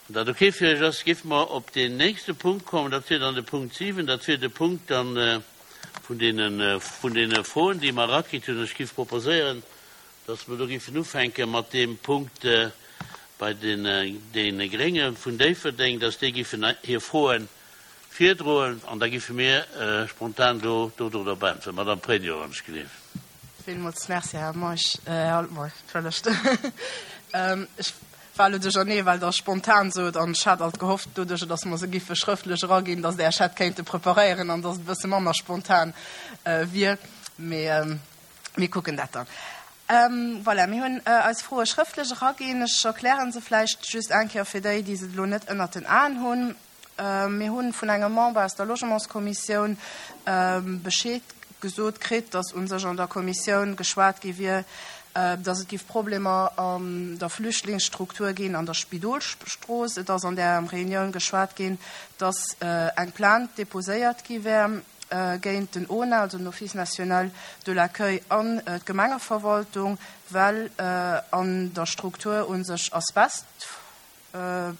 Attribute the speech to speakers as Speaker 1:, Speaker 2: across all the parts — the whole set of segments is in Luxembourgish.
Speaker 1: Wann dat ok fir Iech ass, géife mer op deen nächste Punkt kommen. Dat wier dann de Punkt 7. Dat wier de Punkt dann vun deene, vun deene Froen, déi mer erakritt hunn. Ech géif proposéieren, dass mer do géifen ufänke mat deem Punkt bei deene Grénge vun Déifferdeng, dass déi géifen hir Froe virdroen an da géife mir spontan do dodrop äntweren. Madame Pregno, wann ech gleef.
Speaker 2: Villmools Merci, Här Meisch, Här Altmeisch, entschëllegt. Ech war elo duerchernee, well Der spontan sot an ech hat alt gehofft, doduercher datt mer se giffe schrëftlech eraginn, datt Der Iech hätt kéinte preparéieren an datt et e bësse manner spontan wier. Mee mir kucken dat dann. Voilà, mir hunn eis Froe schrëftlech eraginn. Ech erkläre se vläicht just eng Kéier fir déi, déi se elo net ënnert den Aen hunn. Mir hu vun engem Member aus der Logementskommissioun Bescheed gesot kritt, datt u sech an der Kommissioun geschwat gi wier, datt et géif Problemer an der Flüchtlingsstruktur ginn an der Spidolstrooss. Et ass an där Reunioun geschwat ginn, datt eng Plainte deposéiert gi wär géint den ONA, also den Office national de l'accueil, an d'Gemengeverwaltung, well an der Struktur u sech Asbest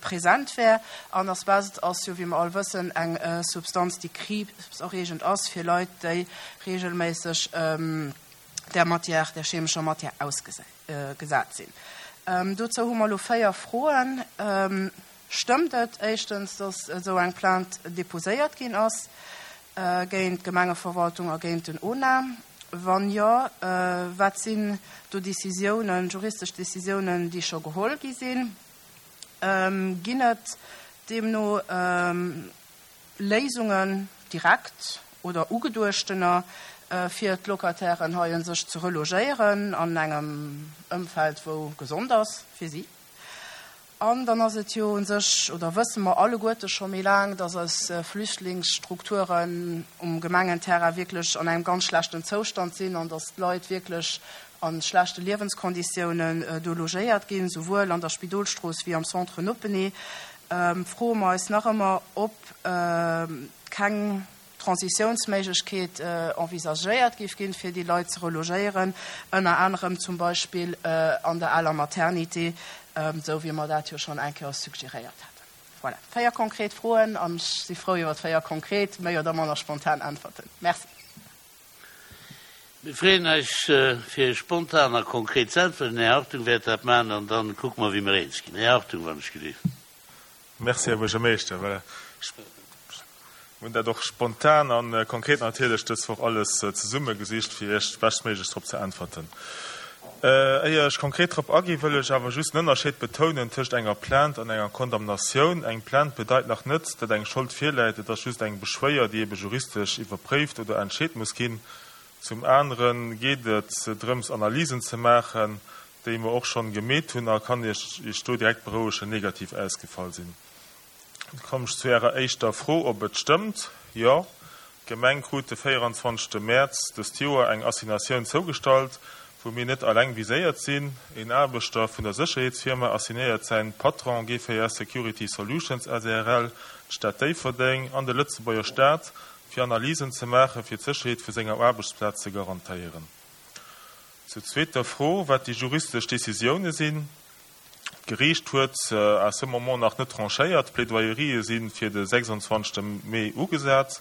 Speaker 2: present wär. An Asbest ass jo, wéi mer all wëssen, eng Substanz, déi kriibserreegend ass fir Leit, déi regelméisseg där Matière, där chemescher Matière ausgesat sinn. Dozou hu mer elo 4 Froen. Stëmmt et éischtens, dass esou eng Plainte déposéiert ginn ass géint d'Gemengeverwaltung a géint den ONA? Wann jo, wat sinn do Décisiounen, juristesch Décisiounen, déi scho geholl gi sinn? Ginn et deemno Léisungen, direkt oder ugeduechtener, fir d'Locatairen hei un sech ze relogéieren an engem Ëmfeld, wou gesond ass fir si? An dann ass et jo u sech, oder wësse mer alleguerte scho méi laang, dass eis Flüchtlingsstrukturen um Gemengenterrain wierklech an engem ganz schlechten Zoustand sinn an dass d'Leit wierklech a schlechte Liewenskonditiounen do logéiert ginn, souwuel an der Spidolstrooss wéi am Centre Noppenee. Froe mer eis nach ëmmer, ob keng Transitiounsméiglechkeet envisagéiert géif ginn, fir déi Leit ze relogéieren, ënner anerem zum Beispill an der aler Maternité, esou wéi mer dat jo schonn eng Kéier suggeréiert haten. Voilà, 4 konkret Froen an ech si frou iwwer 4 konkret, méi oder manner spontan Äntwerten. Merci.
Speaker 1: Mir freeën eis, fir spontan a konkret ze äntwerten. Den Här Hartung wäert dat maachen an da kucke mer, wéi mer eens ginn. Här Hartung, wann ech gelift.
Speaker 3: Merci, Här Buergermeeschter. Voilà, ech hunn dat och spontan a konkret natierlech dës Woch alles zesummegesicht, fir Iech beschtméiglechst drop ze äntwerten. Éier ech konkret drop aginn, wëll ech awer just den Ënnerscheed betounen tëscht enger Plainte an enger Condamnatioun. Eng Plainte bedeit nach net, datt eng Schold virläit, et ass just eng Beschwéier, déi ebe juristesch iwwerpréift oder entscheet muss ginn. Zum anere geet et drëms, Analysen ze maachen, déi mer och schonn gemeet hunn a kann Iech Iech do direkt berouegen, negativ ausgefall sinn. Da kommen ech zu Ärer éischter Fro, ob et stëmmt. Jo, d'Gemeng krut de 24 Mäerz dëst Joer eng Assignatioun zougestallt, wou mir net alleng viséiert sinn. Een Aarbechter vun der Sécherheetsfirma assignéiert säin Patron GVS Security Solutions SARL, d'Stad Déifferdeng an de Lëtzebuerger Staat, fir Analysen ze maachen, fir d'Sécherheet vu senger Aarbechtsplaz ze garantéieren. Zur zweeter Fro, wat déi juristesch Décisioune sinn. D'Geriicht huet à ce moment nach net tranchéiert. D'Plädoyerië si fir de 26 Mee ugesat.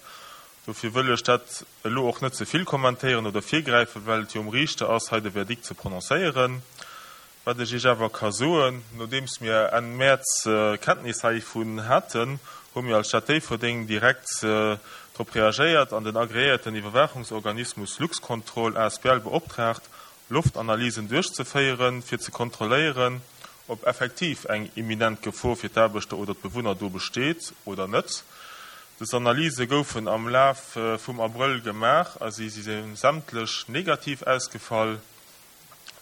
Speaker 3: Dofir wëll ech dat elo och net ze vill kommentéieren oder virgräifen, well et jo um Riichter ass, hei de Verdikt ze prononcéieren. Wat ech Iech awer ka soen, Nodeems mir Enn Mäerz Kenntnis heivun haten, hu mir als Stad Déifferdeng direkt drop reagéiert an den agreéierten Iwwerwaachungsorganismus Luxcontrol asbl beoptraagt, Loftanalysen duerchzeféieren, fir ze kontrolléieren, ob effektiv eng imminent Gefor fir d'Aarbechter oder d'Bewunner do besteet oder net. Dës Analyse goufen am Laf vum Abrëll gemaach a si si sämtlech negativ ausgefall.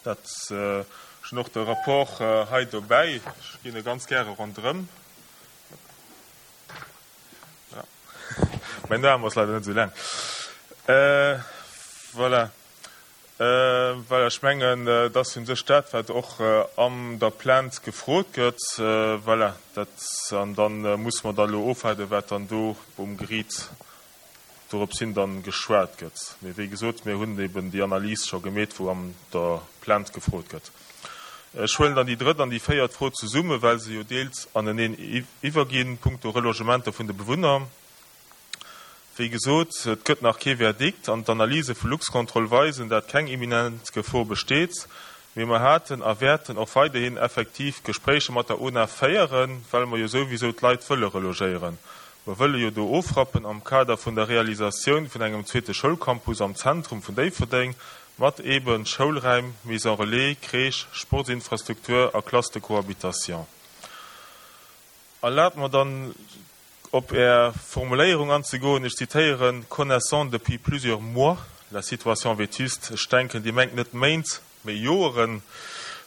Speaker 3: Dat, ech hunn och de Rapport hei dobäi, ech ginn e ganz gäre ronderëm. Voilà. Mäin Aarm ass leider net esou laang. Voilà. Voilà, ech mengen, et ass u sech dat, wat och an der Plainte gefrot gëtt. Voilà, dat, an da musse mer da elo ofwaarden, wat dann do um Geriit dorops hin dann geschwat gëtt. Mee wéi gesot, mir hunn eben déi Analys scho gemeet, wou an der Plainte gefrot gëtt. Ech huelen dann déi drëtt an déi véiert Fro zesummen, well se jo deels aneneen iwwerginn, punkto Relogementer vun de Bewunner. Wéi gesot, et gëtt nach kee Verdikt an d'Analyse vu Luxcontrol weisen, dat keng imminent Gefor besteet. Mee mer haten a wäerten och weiderhin effektiv Gespréicher mat der UNA féieren, well mer jo souwisou d'Leit wëlle relogéieren. Mer wëlle jo do ofrappen am Kader vun der Realisatioun vun engem zweete Schoulcampus am Zentrum vun Déifferdeng mat eeben Schoulräim, Maison relais, Crèche, Sportsinfrastruktur a Classe de cohabitation. Erlaabt mer dann op Är Formuléierung anzegoen, ech zitéieren, connaissant depuis plusieurs mois la situation vétuste, ech denken, Dir mengt net Méint, mee Joeren,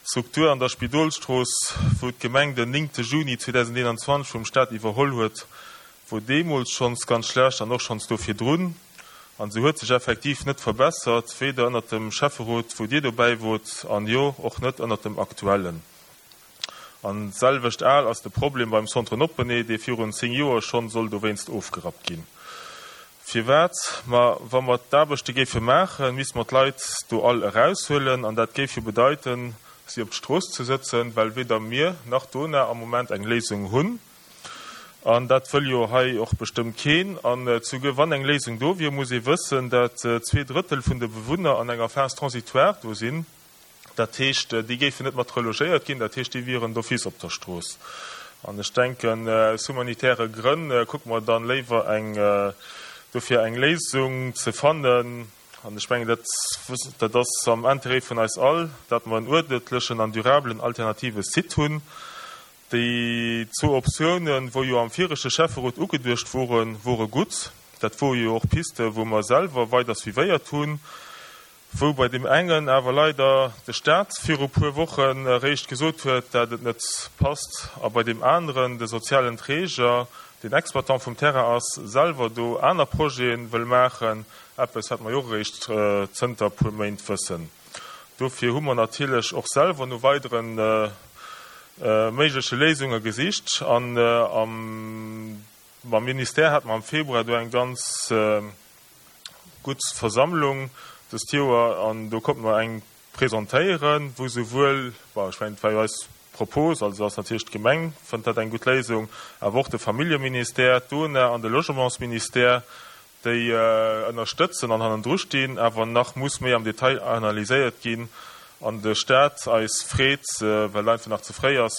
Speaker 3: d'Struktur an der Spidolstrooss, wou d'Gemeng den 9 Juni 2021 vum Stat iwwerholl huet, wor deemools schonns ganz schlecht an och schonns do virdrun. An se huet sech effektiv net verbessert, weder ënnert dem Schäfferot, wou Dir dobäi wot, an jo, och net ënnert dem aktuellen. An d'selwecht al ass de Problem beim Centre Noppenee, dee virun 10 Joer schonn soll dowéinst ofgerappt ginn. Firwat? Ma wa mer d'Aarbechte géife maachen, misste mer d'Leit do all eraushuelen an dat géif jo bedeiten, si op d'Strooss ze sëtzen, well weder mir nach d'ONA am Moment eng Léisung hunn. An dat wëll jo hei och bestëmmt keen. An souguer wann eng Léisung do wier, muss ee wëssen, dat zweedrëttel vun de Bewunner an enger Phase transitoire do sinn. Dat heescht, déi géifen net mat relogéiert ginn, dat heescht, déi wieren d'office op der Strooss. An ech denken, aus humanitäre Grënn kucke mer dann léiwer eng, dofir eng Léisung ze fannen. An ech mengen, dat, dat ass am Intérêt vun eis all, dat mer en uerdentlechen an durabelen alternative Site hunn. Déi zwou Optiounen, wou jo am viregte Schäfferot ugeduecht woren, wore gutt. Dat wore jo och Pisten, wou mer selwer weider suivéiert hunn, wou bei deem engen awer leider de Stat viru puer Wochen eréischt gesot huet, dat et net passt, a bei deem aneren de sozialen Träger, deen Exploitant vum Terrain ass, selwer do aner Projete wëll maachen, eppes, wat mer jo och eréischt zënter puer Méint wëssen. Dofir hu mer natierlech och selwer no weidere méigleche Léisunge gesicht an mam Ministère hate mer am Februar do eng ganz gutt Versammlung dëst Joer an do konnte mer eng presentéieren, wou souwuel, bon, ech mengen, et war jo eis Propos, also ass natierlech d'Gemeng fënnt dat eng gutt Léisung, awer och de Familljeministère, d'ONA an de Logementsministère, déi ënnerstëtzen an hannendru stinn, awer nach muss méi am Detail analyséiert ginn an de Stat eis freet, well et einfach nach ze fréi ass,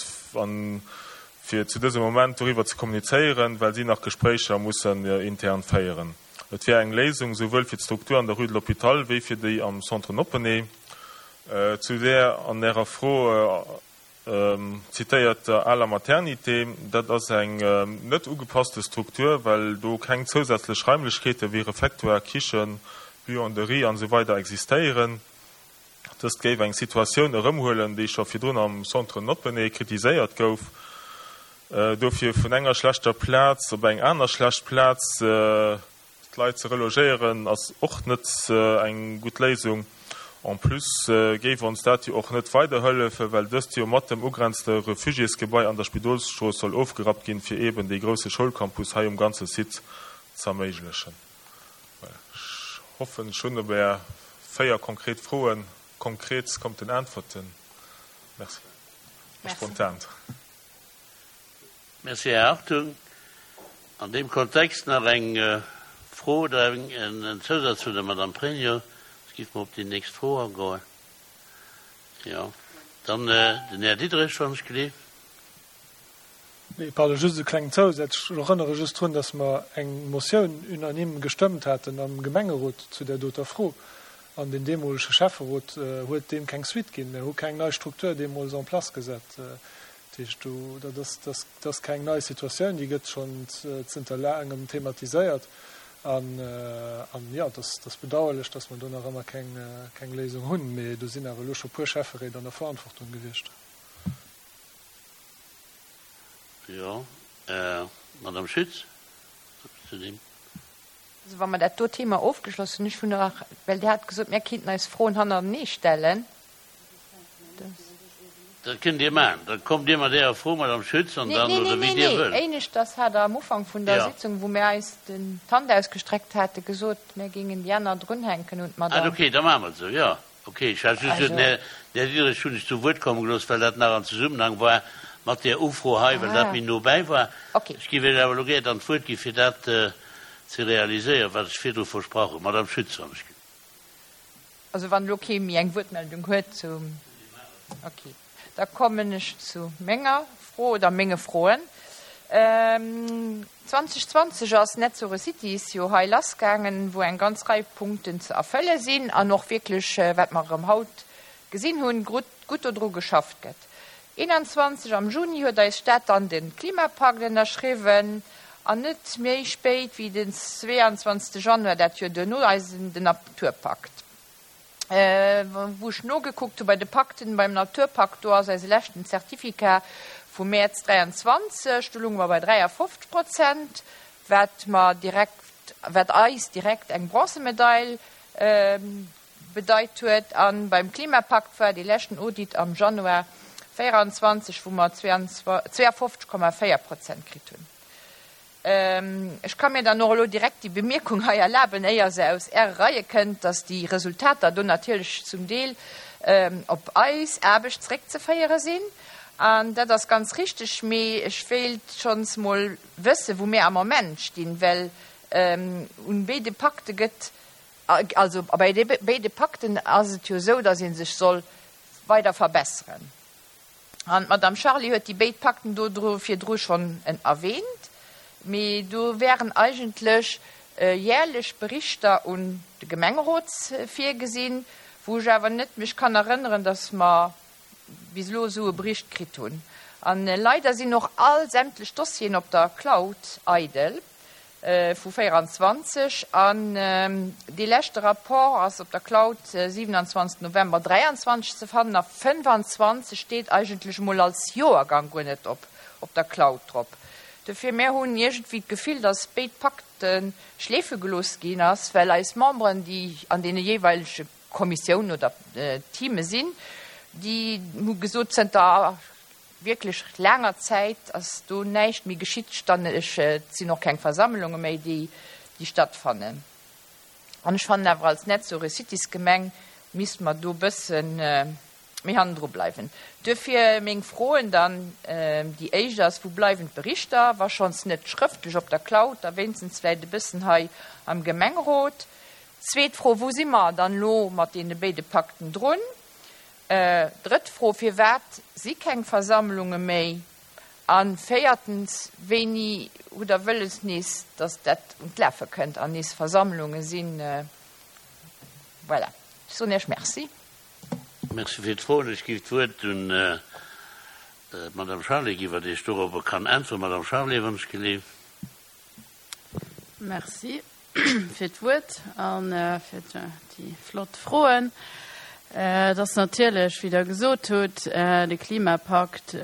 Speaker 3: fir zu dësem Moment doriwwer ze kommunizéieren, well si nach Gespréicher mussen intern féieren. Et wär eng Léisung souwuel fir d'Struktur an der Rue de l'Hôpital wéi fir déi am Centre Noppenee. Zu där an Ärer Fro Zitéiert der aler Maternité, dat ass eng net ugepasste Struktur, well do keng zousätzlech Raimlechkeete wéi Refectoire, Kichen, Buanderie an esou weider existéieren. Dëst géif eng Situatioun erëmhuelen, déi scho virdrun am Centre Noppenee kritiséiert gouf. Dofir vun enger schlechter Plaz op eng aner schlecht Plaz D'Leit ze relogéieren ass och net eng gutt Léisung. En plus géif ons dat jo och net weiderhëllefen, well dëst jo mat dem ugrenzende Refugiésgebai an der Spidolsstrooss soll ofgerappt ginn, fir eeben dee grousse Schoulcampus hei um ganze Site z'erméiglechen. Voilà, ech hoffen, ech hunn op Är 4 konkret Froen konkret konnten äntwerten. Merci. Spontan.
Speaker 1: Merci, Här Hartung. An deem Kontext nach eng Fro oder en Zousaz vun der Madame Pregno. Da géife mer op déi nächst Fro agoen. Jo, dann den Här Diderich, wann ech gleef.
Speaker 4: Nee, pardon, just e klengen Zousaz. Ech erënnere just drun, dass mer eng Motioun unanime gestëmmt haten am Gemengerot zu där doter Fro. An den deemolege Schäfferot huet deem keng Suite ginn. Mir hu keng nei Struktur deemools en place gesat. Dat heescht, do, dat ass, dat ass keng nei Situatioun, déi gëtt schonn zënter laangem thematiséiert. An, an jo, et ass, et ass bedauerlech, datt mer do nach ëmmer keng, keng Léisung hunn. Mee do sinn awer elo scho puer Schäfferéit an der Verantwortung gewiescht.
Speaker 1: Jo, Madame Schütz, zu deem.
Speaker 5: Also wa mer dat do Thema ofgeschloss hunn, ech hunn nach, well Dir hat gesot, mir kéinten eis Froen hannerenee stellen.
Speaker 1: Dat kënnt Dir maachen. Da kommt Dir mat Ärer Fro, Madame Schütz, an dann, oder wéi Dir wëllt.
Speaker 5: Nee, nee, éineschters hat Der am Ufank vun der Sitzung, wou mir eis den d'Hand ausgestreckt hate, gesot, mir géingen déi aner drunhänken un d'Madame.
Speaker 1: Ah, okay, da maache mer et esou, jo. Ok, ech hat just den Här Diderich hunn ech zu Wuert komme gelooss, well dat nach an Zesummenhang war mat där Ufro hei, well dat méi no bäi war. Ech géif Iech awer elo gär dann d'Wuert gi fir dat ze realiséieren, wat ech virdru versprach hunn. Madame Schütz, wann ech.
Speaker 5: Also wann elo kee méi eng Wuertmeldung huet zum. Ok, da kommen ech zu menger Fro oder menge Froen. 2020 ass NetZeroCities jo hei lassgaangen, wou eng ganz Rei Punkten ze erfëlle sinn an och wierklech, wat mer erëm haut gesinn hunn, gutt dodru geschafft gëtt. 21 am Juni huet eis Stad dann de Klimapakt ënnerschriwwen an net méi spéit wéi den 22 Januar dat Joer duerno eisen den Naturpakt. Wou ech nogekuckt hu bei de Pakten, beim Naturpakt, do ass eise leschten Certificat vum Mäerz 23, do lounge mer bei 53 Prozent, wat mer direkt, wat eis direkt eng Bronzemedail bedeit huet. A beim Klimapakt war dee leschten Audit am Januar 24, wou mer 52,4 Prozent kritt hunn. Ech ka mir dann och elo direkt déi Bemierkung hei erlaben, éier se aus Äre Reie kënnt, dass déi Resultater do natierlech zum Deel op eis Aarbecht zréckzeféiere sinn. An dat ass ganz richtig, mee ech wéilt schonns mol wëssen, wou mir am Moment stinn, well un béide Pakte gëtt, also bei béide Pakten ass et jo esou, dass ee sech soll weider verbesseren. An d'Madame Charlé huet déi béid Pakten do virdru schonn erwähnt. Mee do wären eigentlech jährlech Berichter un de Gemengerot virgesinn, wou ech awer net mech kann erënneren, dass mer bis elo esou e Bericht kritt hunn. A leider sinn och all sämtlech Dossieren op der Cloud eidel. Vu 24 an dee leschte Rapport ass op der Cloud 27 November 23 ze fannen a 25 steet eigentlech emol als Joergang guer net op op der Cloud drop. Dofir, mär hunn iergendwéi d'Gefill, datt béid Pakte schleefe gelooss ginn ass, well eis Memberen, déi an deene jeeweilege Kommissiounen oder Teame sinn, déi hu gesot, zënter wierklech laanger Zäit ass do näischt méi geschitt, ech, et sinn och keng Versammlunge méi, déi, déi stattfannen. An ech fannen awer, als Net-Zero-Cities-Gemeng misste mer do e bësse méi hannendru bleiwen. Duerfir meng Froen dann, Déi éischt ass, Wou bleiwen d'Berichter, wa schonns net schrëftlech op der Cloud, da wéinstens vläicht e bëssen hei am Gemengerot? Zweet Fro, Wou si mer dann elo mat deene béide Pakten drun? Drëtt Fro, Firwat si keng Versammlunge méi? A véiertens, Wéini hutt Der wëlles nees, datt dat un d'Lafe kënnt an nees Versammlunge sinn? Voilà, ech soen Iech Merci.
Speaker 1: Merci fir d'Froen. Ech géif d'Wuert un d'Madame Charlé ginn, wat Iech dorobber kann äntweren. Madame Charlé, wann ech geleeft.
Speaker 6: Merci fir d'Wuert a fir déi flott Froen. Et ass natierlech, wéi Der gesot hutt, de Klimapakt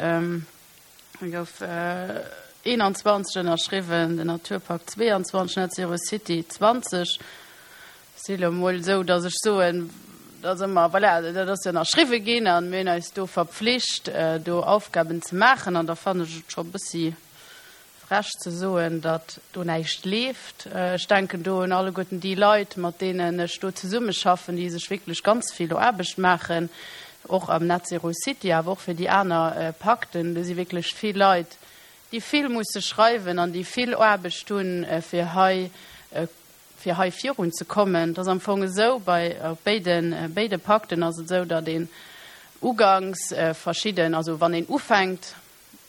Speaker 6: gouf 21 ënnerschriwwen, den Naturpakt 22, Net Zero City 20. Si elo emol esou, datt ech soen, datt ëmmer, voilà, dat ass jo ënnerschriwwe ginn a mir hunn eis do verpflicht, do Aufgaben ze maachen. An da fannen ech et scho e bëssi Frech ze soen, datt do näischt leeft. Ech denken do un alleguerten déi Leit, mat deenen ech do zesummeschaffen, déi sech wierklech ganz vill Aarbecht maachen, och am Net Zero City, awer och fir déi aner Pakten. Do si wierklech vill Leit, déi vill musse schreiwen an déi vill Aarbecht hunn, fir hei, fir hei virunzekommen. Et ass am Fong esou, bei op béide, béide Pakten ass et esou, datt een uganks verschidden, also wann een ufänkt,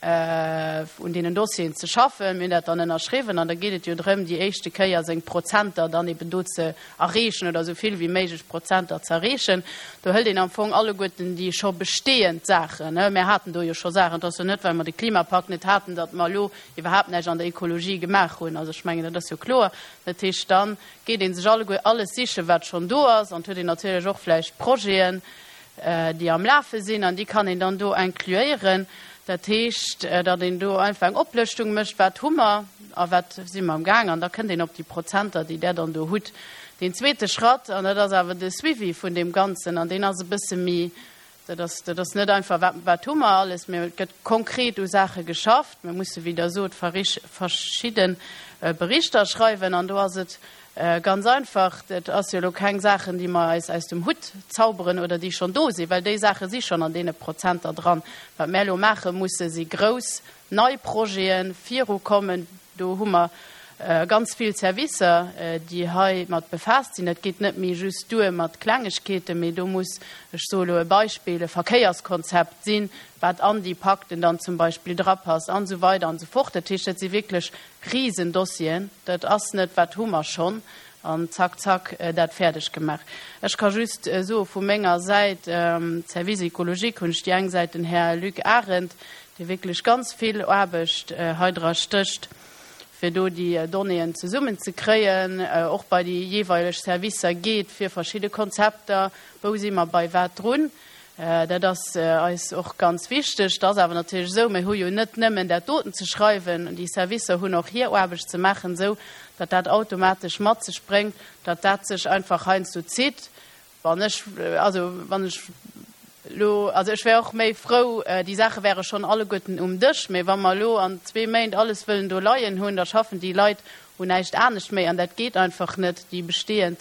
Speaker 6: un deenen Dossieren ze schaffen. Mir hunn dat dann ënnerschriwwen an da geet et jo drëm, déi éischte Kéier seng Prozenter dann eben do ze erreechen oder esou vill wéi méiglech Prozenter ze erreechen. Do hëlt een am Fong alleguerten déi scho bestehend Saachen. Mir haten do jo scho Saachen. Et ass jo net, well mer de Klimapakt net haten, datt mer elo iwwerhaapt näischt an der Ekologie gemaach hunn. Also ech mengen, dat ass jo kloer. Dat heescht, da geet ee sech alleguer alles sichen, wat schonn do ass an et huet een natierlech och vläicht Projeten, déi am Lafe sinn, an déi kann een dann do incluéieren. Dat heescht, datt een do einfach eng Oplëschtung mécht, wat hu mer a wat si mer am Gaang, an da kënnt een op déi Prozenter, déi Der dann do hutt. Deen zweete Schratt, an dat ass awer de Suivi vun deem Ganzen, an deen ass e bësse méi, dat ass, dat ass net einfach, wat, wat hu mer alles, mä et gëtt konkret u Saache geschafft. Mir musse, wéi Der sot, verschidde Berichter schreiwen, an do ass et. Ganz einfach, dat ass jo elo keng Saachen, déi mer eis aus dem Hutt zauberen oder déi schonn do sinn, well déi Saache si schonn an deene Prozenter dran. Wat mär elo maache musse si grouss nei Projeten, virukommen. Do hu mer ganz vill Servicer, déi hei mat befaasst sinn. Dat geet net méi just duer mat Klengegkeeten, mee do muss, ech soe elo e Beispill, e Verkéierskonzept sinn, wat an déi Pakten dann zum Beispill drapasst an esou weider an esou fort. Dat heescht, dat si wierklech Risendossieren. Dat ass net, wat hu mer schonn an zack, zack dat fäerdeg gemaach. Ech ka just soe vu menger Säit, Service écologique hunn ech déi eng Säit den Här Luc Arendt, dee wierklech ganz vill Aarbecht hei dra stécht, fir do déi Donnéeën zesummen ze kréien, och bei déi jeeweileg Servicer geet fir verschidde Konzepter, wou si mer bei wat drun. Dat ass eis och ganz wichteg. Et ass awer natierlech esou, mir hu jo net nëmmen dat doten ze schreiwen, déi Servicer hunn och hir Aarbecht ze maachen, esou datt dat automatesch mat sech bréngt, datt dat sech einfach heiansdo zitt. Wann ech, also wann ech elo, also ech wär och méi frou, déi Saache wäre schonn alleguerten um Dësch, mä wa mer elo an zwee Méint alles wëllen do leien hunn, da schaffen déi Leit un näischt anescht méi an dat geet einfach net. Déi bestehend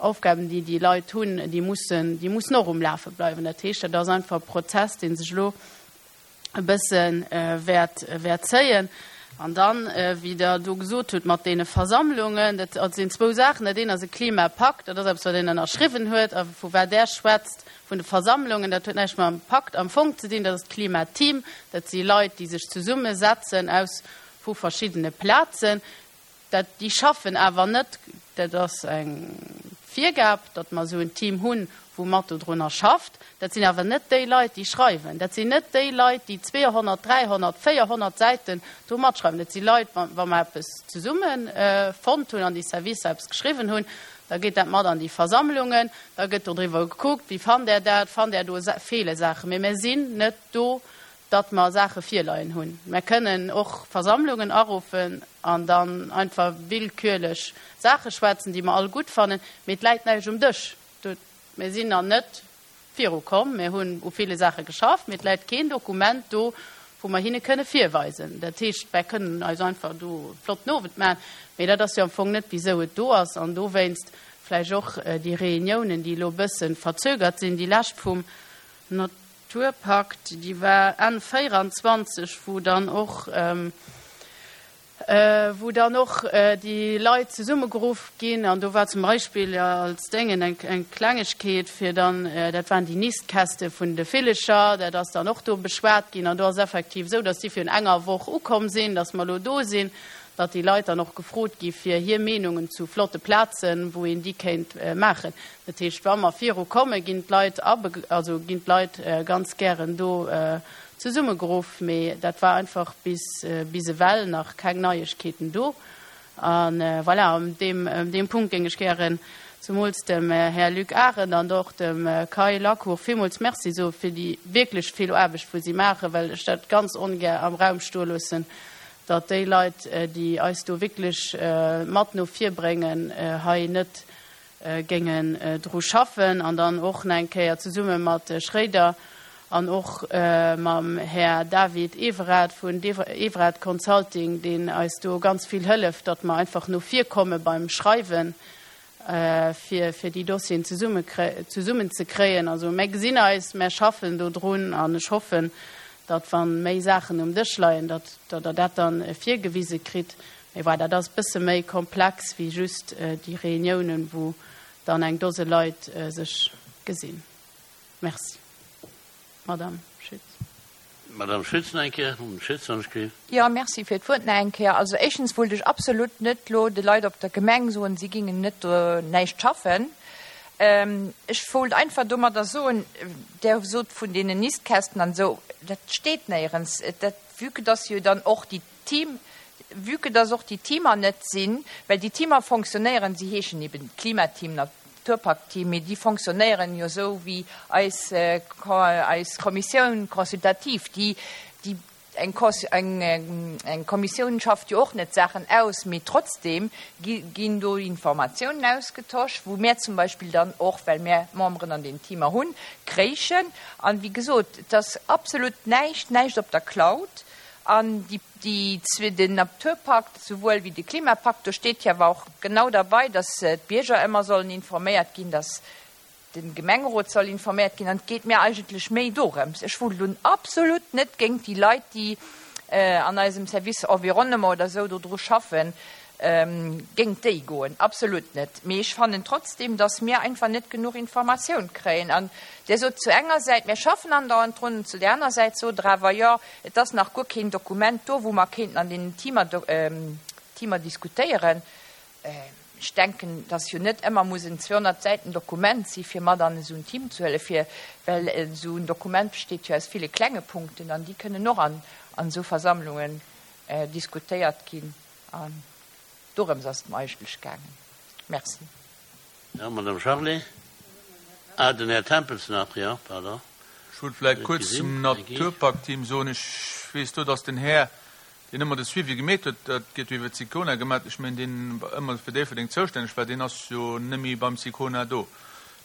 Speaker 6: Aufgaben, déi déi Leit hunn, déi mussen, déi mussen och um Lafe bleiwen. Dat heescht, dat ass einfach e Prozess, dee sech elo e bësse wäert, wäert zéien. An dann, wéi Der do gesot hutt mat deene Versammlungen, dat sinn zwou Saachen. Dat eent ass e Klimapakt, dat ass eppes, wat een ënnerschriwwen huet. A vu wat Der schwätzt, vun de Versammlungen, dat huet näischt mam Pakt am Fong ze dinn. Dat ass d'Klimateam, dat si Leit, déi sech zesummesetzen aus vu verschiddene Plazen. Dat, déi schaffen awer net, dat ass eng Virgab, datt mer esou en Team hunn, wou mat dodrunner schafft. Dat sinn awer net déi Leit, déi schreiwen. Dat sinn net déi Leit, déi 200, 300, 400 Säiten do matschreiwen. Dat si Leit, wa, wa mer eppes zesumme fonnt hunn an déi Servicer eppes geschriwwen hunn, da geet dat mat an déi Versammlungen, da gëtt dodriwwer gekuckt, wéi fannt Der dat, fannt Der do feele Saachen. Mee mir sinn net do, datt mer Saache virleien hunn. Mer kënnen och Versammlungen aruffen an dann einfach willkürlech Saache schwätzen, déi mer all gutt fannen, mee et läit näischt um Dësch. Mir sinn nach net virukomm, mir hunn u ville Saache geschafft, mee et läit keen Dokument do, wou mer hinne kënne virweisen. Dat heescht, mer kënnen eis einfach do e flotten Owend maachen, mee dat ass jo am Fong net, wisou et do ass. An dowéinst vläicht och déi Reuniounen, déi elo e bësse verzögert sinn, déi lescht vum Naturpakt, déi war Enn 24, wou dann och, wou dann och déi Leit zesummegeruff ginn. An do war zum Beispill als Déngen eng, eng Klengegkeet, fir dann, dat waren déi Nistkäste vun de Villecher, dat ass dann och do beschwat ginn. An do ass effektiv esou, datt déi virun enger Woch ukomm sinn, datt mer elo do sinn, datt déi Leit dann och gefrot gi fir hir Meenungen zu flotte Plazen, wou een déi kéint maachen. Dat heescht, wa mer viru kommen, ginn d'Leit also ginn d'Leit ganz gären do zesummegeruff. Mee dat war einfach bis bis ewell nach keng Neiegkeeten do. A voilà, an deem deem Punkt géing ech gären zemools dem Här Luc Arendt an och dem Kai Lacour villmools Merci soe fir déi wierklech vill Aarbecht, wou si maachen, well ech dat ganz ongär am Raum stoe loossen, datt déi Leit, déi eis do wierklech mat no vir bréngen, hei net géingen dru schaffen an dann och nach eng Kéier zesumme mat Schréider an och mam Här David Everard vun Everard Consulting, deen eis do ganz vill hëlleft, datt mer einfach no vir komme beim Schreiwen, fir fir déi Dossieren zesummen ze kréien. Also mär gesinn eis, mär schaffen do drun an ech hoffen, datt wa méi Saachen um Dësch leien, datt Der dat dann virgewise kritt. Mee voilà, dat ass e bësse méi komplex wéi just déi Reuniounen, wou dann eng Dose Leit sech gesinn. Merci. Madame Schütz.
Speaker 1: Madame Schütz nach eng Kéier. Mme Schütz, wann ech géif.
Speaker 5: Jo, merci fir d'Wuert nach eng Kéier. Also éischtens wollt ech absolut net elo de Leit op der Gemeng soen, si gingen net do näischt schaffen. Ech wollt einfach domadder soen, Der sot vun deenen Nistkästen an esou, dat steet néierens. Dat, vue que dass jo dann och déi Team, vue que dass och déi Teamer net sinn, well déi Teamer fonctionnéieren, si heeschen eben Klimateam, Naturpaktteam, mee déi fonctionnéieren jo esou wéi eis, eis Commissioun consultative, déi, déi eng, eng, eng Kommissioun schafft jo och net Saachen aus, mee trotzdem gi, ginn do Informatiounen ausgetosch, wou mär zum Beispill dann och, well mär Memberen an deenen Teamer hunn, kréichen. An, wéi gesot, et ass absolut näischt, näischt op der Cloud. An déi, déi, den Naturpakt souwuel wéi de Klimapakt, do steet jo awer och genau derbei, dass d'Bierger ëmmer sollen informéiert ginn, dass de Gemengerot soll informéiert ginn. An et geet mir eigentlech méi dorëms, ech wullt elo absolut net géint déi Leit, déi an eisem Service Environnement oder esou dodru schaffen, géint déi goen, absolut net. Mee ech fannen trotzdem, dass mir einfach net genuch Informatioun kréien. An Dir sot zu enger Säit, mir schaffen andauernd drun, an zu där aner Säit sot Der awer, jo, et ass nach guer keen Dokument do, wou mer kéinten an deenen Teamer, Teamer diskutéieren. Ech denken, dass jo net ëmmer muss en 200 Säiten Dokument si fir mat an esou en Team ze huelen, fir, well esou en Dokument besteet jo aus ville klenge Punkten an déi kënnen och an esou Versammlungen diskutéiert ginn. An dorëms ass et mer eigentlech gaangen. Merci.
Speaker 1: Jo, Madame Charlé. Ah, den Här Tempels nach, jo, pardon.
Speaker 7: Ech wollt vläicht kuerz zum Naturpakt-Team soen, ech weess do, dass den Här deen ëmmer de Suivi gemeet huet, dat gëtt jo iwwer d'Sicona gemat, ech mengen, deen ëmmer fir Déifferdeng zoustänneg war, deen ass jo nëmme beim Sicona do.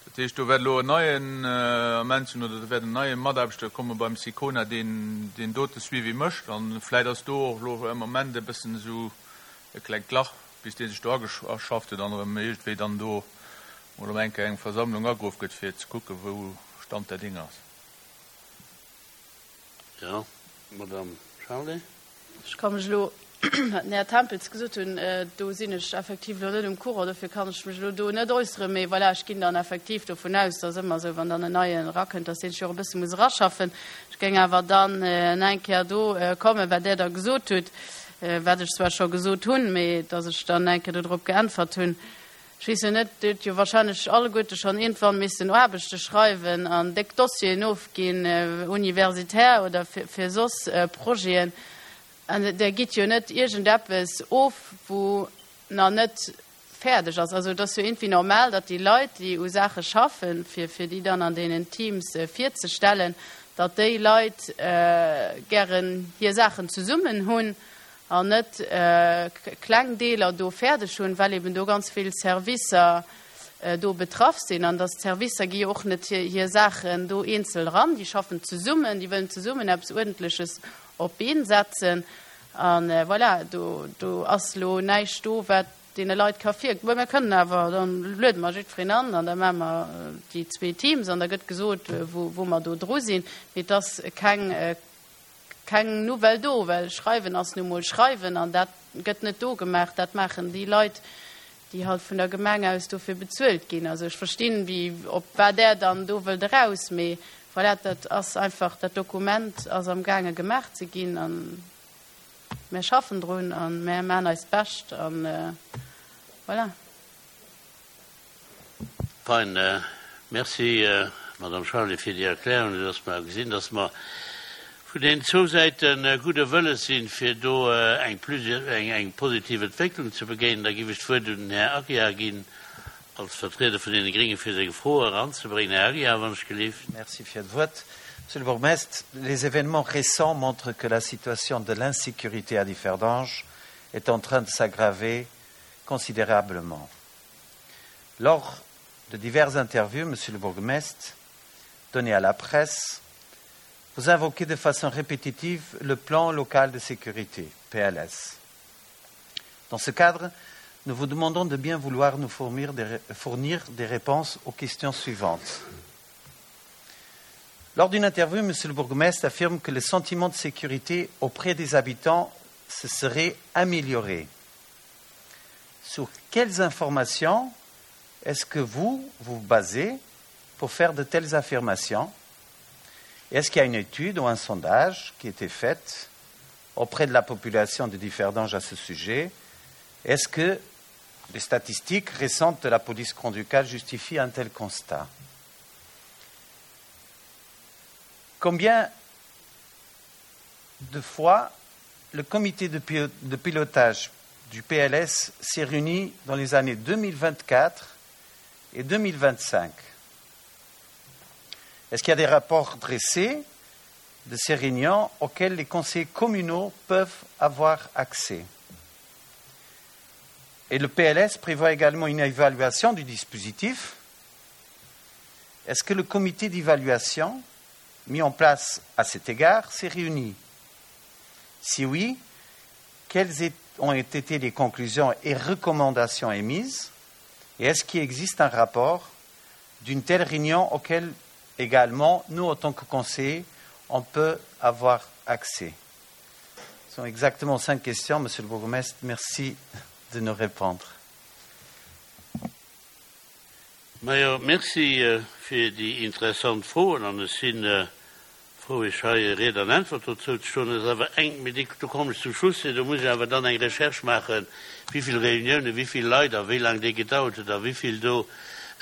Speaker 7: Dat heescht, do wäert elo en neien Ament sinn oder do wäert en neie Mataarbechter komme beim Sicona, deen deen dote Suivi mécht. A vläicht ass do och elo am Ament e bëssen esou e klengt Lach, bis dee sech do ageschafft huet an erëm iergendwéi dann do mol erëm eng Kéier eng Versammlung ageruff gëtt, fir ze kucken, wou Stand der Dinge ass.
Speaker 1: Jo, Madame Charlé.
Speaker 6: Ech ka mech elo, wat den Här Tempels gesot hunn, do sinn ech effektiv elo net um Courant, dofir kann ech mech elo do net äusseren. Mee voilà, ech ginn dann effektiv dovun aus, dass ëmmer esou, wann dann en Neien erakënnt, dass dee sech och e bësse muss eraschaffen. Ech géing awer dann nach eng Kéier do kommen, wat Där da gesot hutt, wat ech zwar scho gesot hunn, mee dass ech dann eng Kéier dodrop geäntwert hunn. Ech weess jo net, Dir hutt jo wahrscheinlech alleguerte schonn iergendwann missen Aarbechte schreiwen an déck Dossieren ofginn, universitär oder fir soss Projeten. An Der gitt jo net iergendeppes of, wou nach net fäerdeg ass. Also et ass jo iergendwéi normal, datt déi Leit, déi u Saache schaffen, fir fir déi dann an deenen Teams virzestellen, datt déi Leit gären hir Saachen zesummen hunn an net kleng Deeler do fäerdeg hunn, well eben do ganz vill Servicer do betraff sinn. An dass d'Servicer gi jo och net hir Saachen do eenzel eran, déi schaffen zesummen, déi wëllen zesummen eppes Uerdentleches op d'Been setzen. A voilà, do, do ass elo näischt do, wat deene Leit ka vir. Mä mir kënnen awer, da luede mer jiddwereen an an da maache mer déi zwee Teams an da gëtt gesot, wou, wou mer do dru sinn. Mee et ass keng Keng Nouvelle do, well schreiwen ass nu mol schreiwen an dat gëtt net do gemaach, dat maachen déi Leit, déi halt vun der Gemeng aus dofir bezuelt ginn. Also ech verstinn, wéi, op wat Der dann do wëllt eraus, mee voilà, dat ass einfach, dat Dokument ass am gaange gemaach ze ginn a mär schaffen drun a mär maachen eist Bescht a voilà.
Speaker 1: Fein. Merci, Madame Charlé, fir déi Erklärung, esou dass mer gesinn, dass mer vun deenen zwou Säite gudde Wëlles sinn, fir do eng eng positiv Entwécklung ze begéinen. Da géif ech d'Wuert un den Här Aguiar ginn als Vertrieder vun deene Gréngen, fir seng Fro eranzebréngen. Här Aguiar, wann ech gelift.
Speaker 8: Merci fir d'Wuert. Monsieur le Bourgmestre, les événements récents montrent que la situation de l'insécurité à Differdange est en train de s'aggraver considérablement. Lors de diverses interviews, monsieur le bourgmestre, données à la presse, vous invoquez de façon répétitive le plan local de sécurité, PLS. Dans ce cadre, nous vous demandons de bien vouloir nous fournir des, fournir des réponses aux questions suivantes. Lors d'une interview, monsieur le bourgmestre affirme que le sentiment de sécurité auprès des habitants se serait amélioré. Sur quelles informations est-ce que vous vous basez pour faire de telles affirmations Est-ce qu'il y a une étude ou un sondage qui a été fait auprès de la population de Differdange à ce sujet Est-ce que les statistiques récentes de la police grand-ducale justifient un tel constat Combien de fois le comité de pilotage du PLS s'est réuni dans les années 2024 et 2025 Est-ce qu'il y a des rapports dressés de ces réunions auxquels les conseillers communaux peuvent avoir accès Et le PLS prévoit également une évaluation du dispositif. Est-ce que le comité d'évaluation mis en place à cet égard s'est réuni? Si oui, quelles ont été les conclusions et recommandations émises Et est-ce qu'il existe un rapport d'une telle réunion auquel également nous, en tant que conseillers, on peut avoir accès Ce sont exactement cinq questions, Monsieur le bourgmestre. Merci de nous répondre.
Speaker 1: Majo, merci fir déi interessant Froen an ech si frou, Iech hei Ried an Äntwert dozou ze stoen. Et ass awer eng, mee déi, do kommen ech zum Schluss, do muss ech awer dann eng Recherche maachen, wéi vill Reuniounen, wéi vill Leit a wéi laang déi gedauert huet a wéi vill do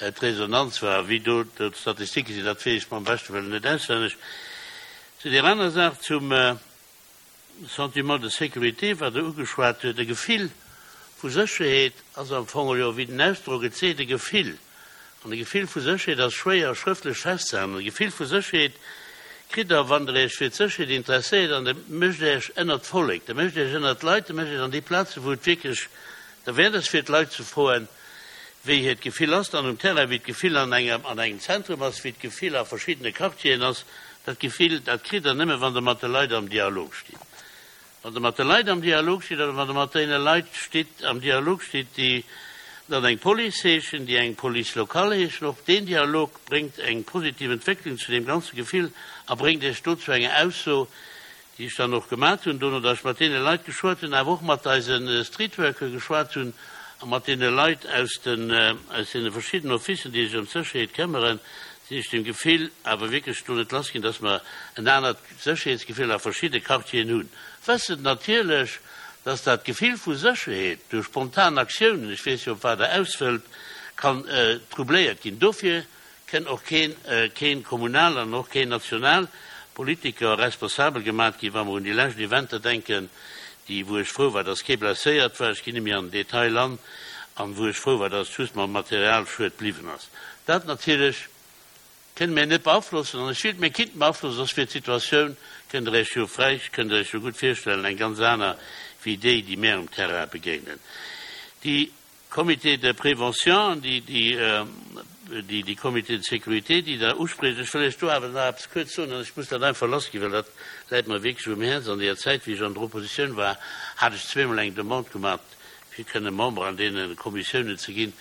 Speaker 1: d'Resonanz war a wéi do d'Statistike sinn. Dat weess ech mam beschte Wëllen net auswenneg. Zu där aner Saach, zum. Sentiment de sécurité, wat Der ugeschwat huet, e Gefill vu Sécherheet ass am Fong jo, wéi den Ausdrock et seet, e Gefill. An e Gefill vu Sécherheet ass schwéier schrëftlech festzehalen. E Gefill vu Sécherheet kritt Der, wann Der Iech fir d'Sécherheet interesséiert an Der mécht Iech ënnert d'Vollek, Der mécht Iech ënnert d'Leit, Der mécht Iech an déi Plazen, wou et wierklech derwäert ass, fir d'Leit ze froen, wéi hiert Gefill ass dann um Terrain, wéi d'Gefill an engem an engem Zentrum ass, wéi d'Gefill a verschiddene Quartieren ass. Dat Gefill, dat kritt Der nëmme wann Der mat de Leit am Dialog stitt. Wann Der mat de Leit am Dialog stitt oder wann Der mat deene Leit stitt, am Dialog stitt, déi dann eng Police heeschen, déi eng Police locale heeschen. Och deen Dialog bréngt eng positiv Entwécklung zu deem ganze Gefill a bréngt Iech do zu enger Ausso, déi ech dann och gemat hunn, dono datt ech mat deene Leit geschwat hunn, awer och mat eise Streetworker geschwat hunn a mat deene Leit aus den, aus deene verschiddenen Officen, déi sech ëm d'Sécherheet këmmeren, sinn ech dem Gefill awer wierklech do net lass ginn, datt mer en anert Sécherheetsgefill a verschidde Quartieren hunn. Wëssend natierlech, datt dat Gefill vu Sécherheet duerch spontan Aktiounen, ech weess jo op wat Der aus wëllt, kann troubléiert ginn. Dofir Kënn och keen, keen kommunal an och keen national Politiker responsabel gemat ginn, wa mer un déi lescht Eventer denken, déi, wou ech frou war, dass kee blesséiert war, ech ginn net méi an den Detail an, an wou ech frou war, dass et just mam Materialschued bliwwen ass. Dat natierlech kënne mir net beaflossen, an ech wéilt mir kinnten beaflossen, soss wier d'Situatioun, kënnt Der Iech jo fräich, kënnt Der Iech jo gutt virstellen, eng ganz aner wéi déi, déi mär um Terrain begéinen. Déi. Comité de prévention, déi, déi, déi Comités de sécurité, déi Der uspricht. Ech wëll Iech do awer nach eppes kuerz soen, an ech muss dat einfach lassginn, well dat läit mer wierklech um Häerz. An deeër Zäit, wéi ech an der Oppositioun war, hat ech zweemol eng Demande gemaach, fir kënne Member an deene Kommissiounen ze ginn.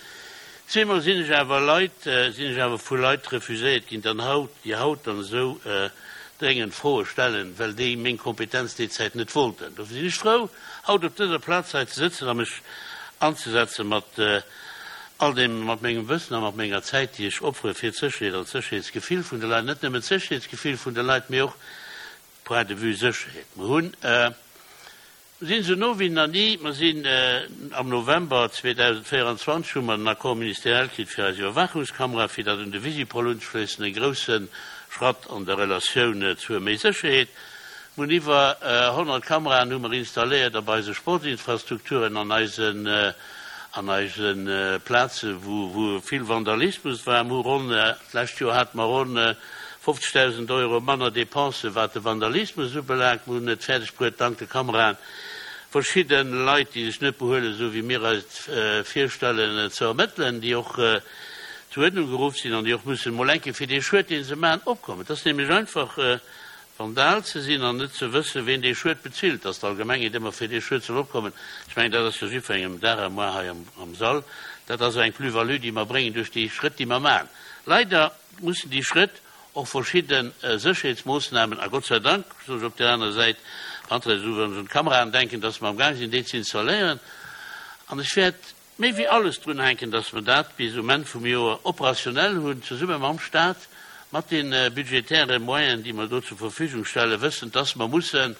Speaker 1: Zweemol sinn ech awer Leit, sinn ech awer vu Leit refuséiert ginn, dann haut, déi haut dann esou dréngend Froe stellen, well déi meng Kompetenz déi Zäit net wollten. Dofir sinn ech frou, haut op dëser Plaz hei ze sëtzen a mech anzesetze mat all deem, mat mengem Wëssen a mat menger Zäit, déi ech opfere fir d'Sécherheet an d'Sécherheetsgefill vun de Leit, net nëmmen d'Sécherheetsgefill vun de Leit, mee och point de vue Sécherheet. Mer hunn, mer sinn esou no wéi nach ni, mer sinn am November 2024 hu mer den Accord ministériel kritt fir eis Iwwerwaachungskamera, fir dat un de Visipol unzeschléissen, e grousse Schratt an der Relatioun zur méi Sécherheet. Mir hunn iwwer 100 Kameraen hu mer installéiert op eise Sportsinfrastrukturen, an eisen, an eise Plaze wou, wou vill Vandalismus war. Mir hu ronn, d'lescht Joer hate mer ronn 50.000 Euro manner Dépensen, wat de Vandalismus ubelaangt. Mir hunn et fäerdeg bruet, dank de Kameraen verschidde Leit, déi sech net behuelen, esou wéi mir eis et virstellen, ze ermëttelen, déi och zur Uerdnung geruff sinn an déi och mussen emol eng Kéier fir dee Schued, dee se maachen, opkommen. Et ass nämlech einfach, Vandal ze sinn an net ze wëssen, ween dee Schued bezilt, dass d'Allgemengheet ëmmer fir dee Schued soll opkommen, ech mengen, dat ass jo jiddwerengem Dag à moi hei am Sall. Dat ass eng Plus-value, déi mer bréngen duerch déi Schrëtt, déi mer maachen. Leider mussen déi Schrëtt och verschidde Sécherheetsmoossnamen, a Gott sei Dank, soen ech op där aner Säit, wann ech un d'Kameraen denken, dass mer amgaang sinn, déi ze installéieren. An ech wäert Méi wéi alles drun hänken, dass mer dat bis um Enn vum Joer operationell hunn, zesumme mam Stat, mat de budgetäre Moyenen, déi mer do zur Verfügung stellen, wëssend, dass mer musse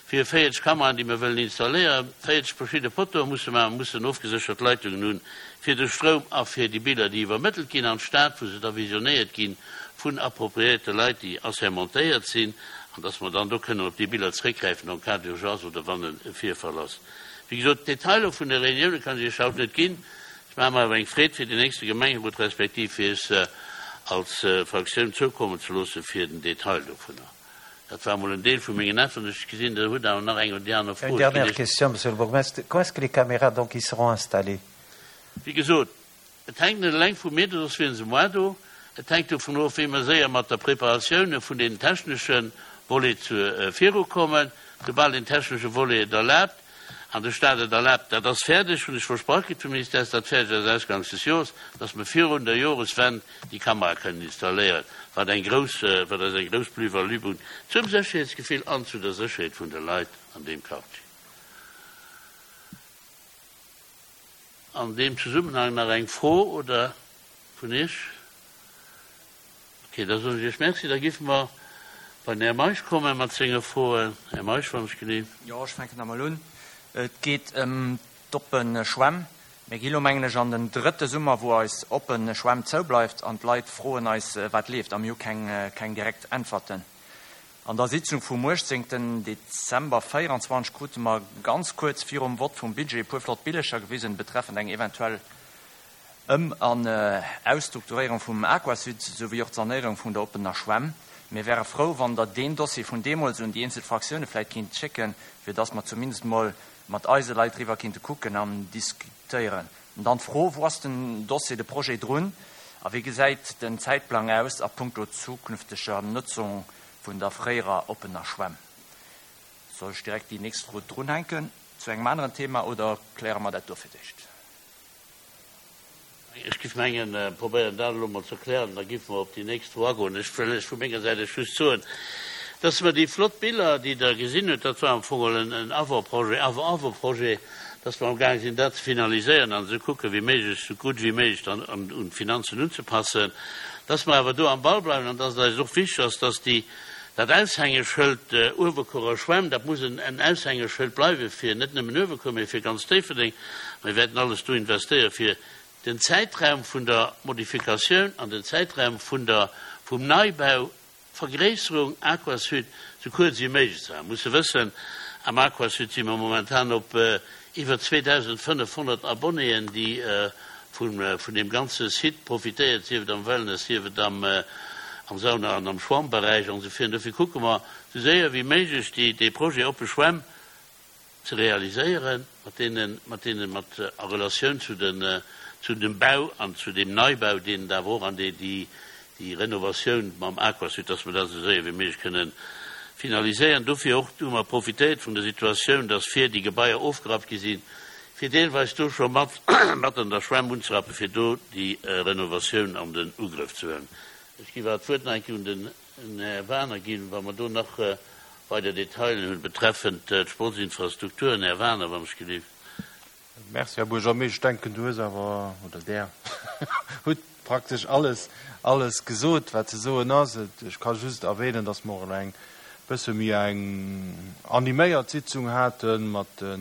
Speaker 1: fir 40 Kameraen, déi mer wëllen installéieren, 40 verschidde Poteaue musse maachen, mussen ofgeséchert Leitungen hunn fir de Stroum a fir déi Biller, déi iwwermëttelt ginn an d'Stad, wou se da visionéiert gi vun appropriéierte Leit, déi assermentéiert sinn, an dass mer dann do kënnen op déi Biller zréckgräifen en cas d'urgence oder wann e Virfall ass. Wéi gesot, d'Detailer vun de Reunioune kann ech Iech haut net ginn. Ech maache mer awer eng Freed, fir den nächste Gemengerot respektiv fir Iech se als Fraktioun zoukommen ze loosse fir den Detail dovunner. Dat war emol en Deel vu mengen Äntwerten. Ech gesinn, Der hutt awer nach eng oder déi aner Fro.
Speaker 8: Une dernière question, Monsieur le Bourgmestre. Quand est-ce que les caméras donc y seront installées?
Speaker 1: Wéi gesot, Et hänkt net eleng vu mir, soss wieren se moar do. Et hänkt dovun of, wéi mer séier mat der Preparatioun vun deenen technesche Volet virukommen. Soubal den technesche Volet et erlaabt an de Stat et erlaabt, dat ass fäerdeg, hunn ech versprach kritt vum Ministère, dass dat fäerdeg ass ausganks des Jores, dass mer virun der Joreswend déi Kamerae kënnen installéieren, wat eng grouss, wat eis eng grouss Plus-value bréngt zum Sécherheetsgefill an zu der Sécherheet vun de Leit an deem Quartier. An deem Zesummenhang nach eng Fro oder vun Iech? Ok, da soen ech Iech Merci. Da géife mer bei den Här Meisch komme mat senge Froen. Här Meisch, wann ech genee.
Speaker 9: Jo, ech fänken da mol un. Et geet ëm d'oppe Schwämm. Mir gi lo, mengen ech, an den drëtte Summer, wou eis oppe Schwämm zoubleift an d'Leit froen eis, wat leeft, a mir hu keng, keng direkt Äntwerten. An der Sitzung vum 18. Dezember 24 krute mer ganz kuerz virum Vott vum Budget e puer flott Billecher gewisen betreffend eng eventuell Ëm an Ausstrukturéierung vum Aquasud souwéi och d'Sanéierung vun der oppener Schwämm. Mir wäre frou, wann Der deen Dossier vun deemools un déi eenzel Fraktioune vläicht kinnt schécken, fir dass mer zumindest mol mat eise Leit driwwer kinnte kucken an diskutéieren. An dann d'Fro, Wou ass den Dossier, de Projet drun a wéi gesäit den Zäitplang aus a puncto zukünfteger Nutzung vun der fréierer oppener Schwämm? Soll ech direkt déi nächst Fro drunhänken zu engem aneren Thema oder kläre mer dat do fir d'éischt?
Speaker 1: Ech géif mengen, probéieren dat elo emol ze erklären, da géife mer op déi nächst Fro agoen. Ech wëll lech vu menger Säit aus just soen, dass mer déi flott Biller, déi Der gesinn hutt, dat war am Fong geholl en Avant-projet, Avant-avant-projet, dass mer amgaang sinn, dat ze finaliséieren an ze kucken, wéi méiglech, esou gutt wéi méiglech dann un d'Finanzen unzepassen, dass mer awer do am Ball bleiwen an dass et eis och wichteg ass, dass déi, dat Aushängeschëld Uewerkuerer Schwämm, dat muss en Aushängeschëld bleiwe fir net nëmmen Uewerkuer, mee fir ganz Déifferdeng. Mir wäerten alles do investéieren, fir den Zäitraum vun der Modifikatioun an den Zäitraum vun der, vum Neibau, Vergréisserung Aquasud, sou kuerz wéi méiglech ze halen. Musse wëssen, am Aquasud si mer momentan op iwwer 2.500 Abonnéen, déi vun, vun deem ganze Site profitéiert, sief et am Wellness, sief et am, am Sauna an am Schwammberäich an esou virun. Dofir kucke mer, sou séier wéi méiglech déi, dee Projet Oppe Schwämm ze realiséieren, mat deenen, mat deenen, mat a Relatioun zu den, zu dem Bau an zu deem Neibau, deen et awer och an déi, déi, déi Renovatioun mam Aquasud, dass mer dat esou séier wéi méiglech kënnen finaliséieren. Dofir och hu mer profitéiert vun der Situatioun, dass vir déi Gebaier ofgerappt gi sinn, fir deelweis do scho mat, mat an der Schwämm unzerappen, fir do déi Renovatioun an den Ugrëff ze huelen. Ech géif awer d'Wuert nach eng Kéier un den Här Wagener ginn, wa mer do nach weider Detailen hunn betreffend d'Sportsinfrastrukturen. Här Wagener, wann ech gelift.
Speaker 10: Merci, Här Buergermeeschter. Ech denken, du hues awer, oder Der hutt praktesch alles, alles gesot, wat ze soen ass. Ech ka just erwähnen, dass mer och elo eng bësse méi eng animéiert Sitzung hate mat de,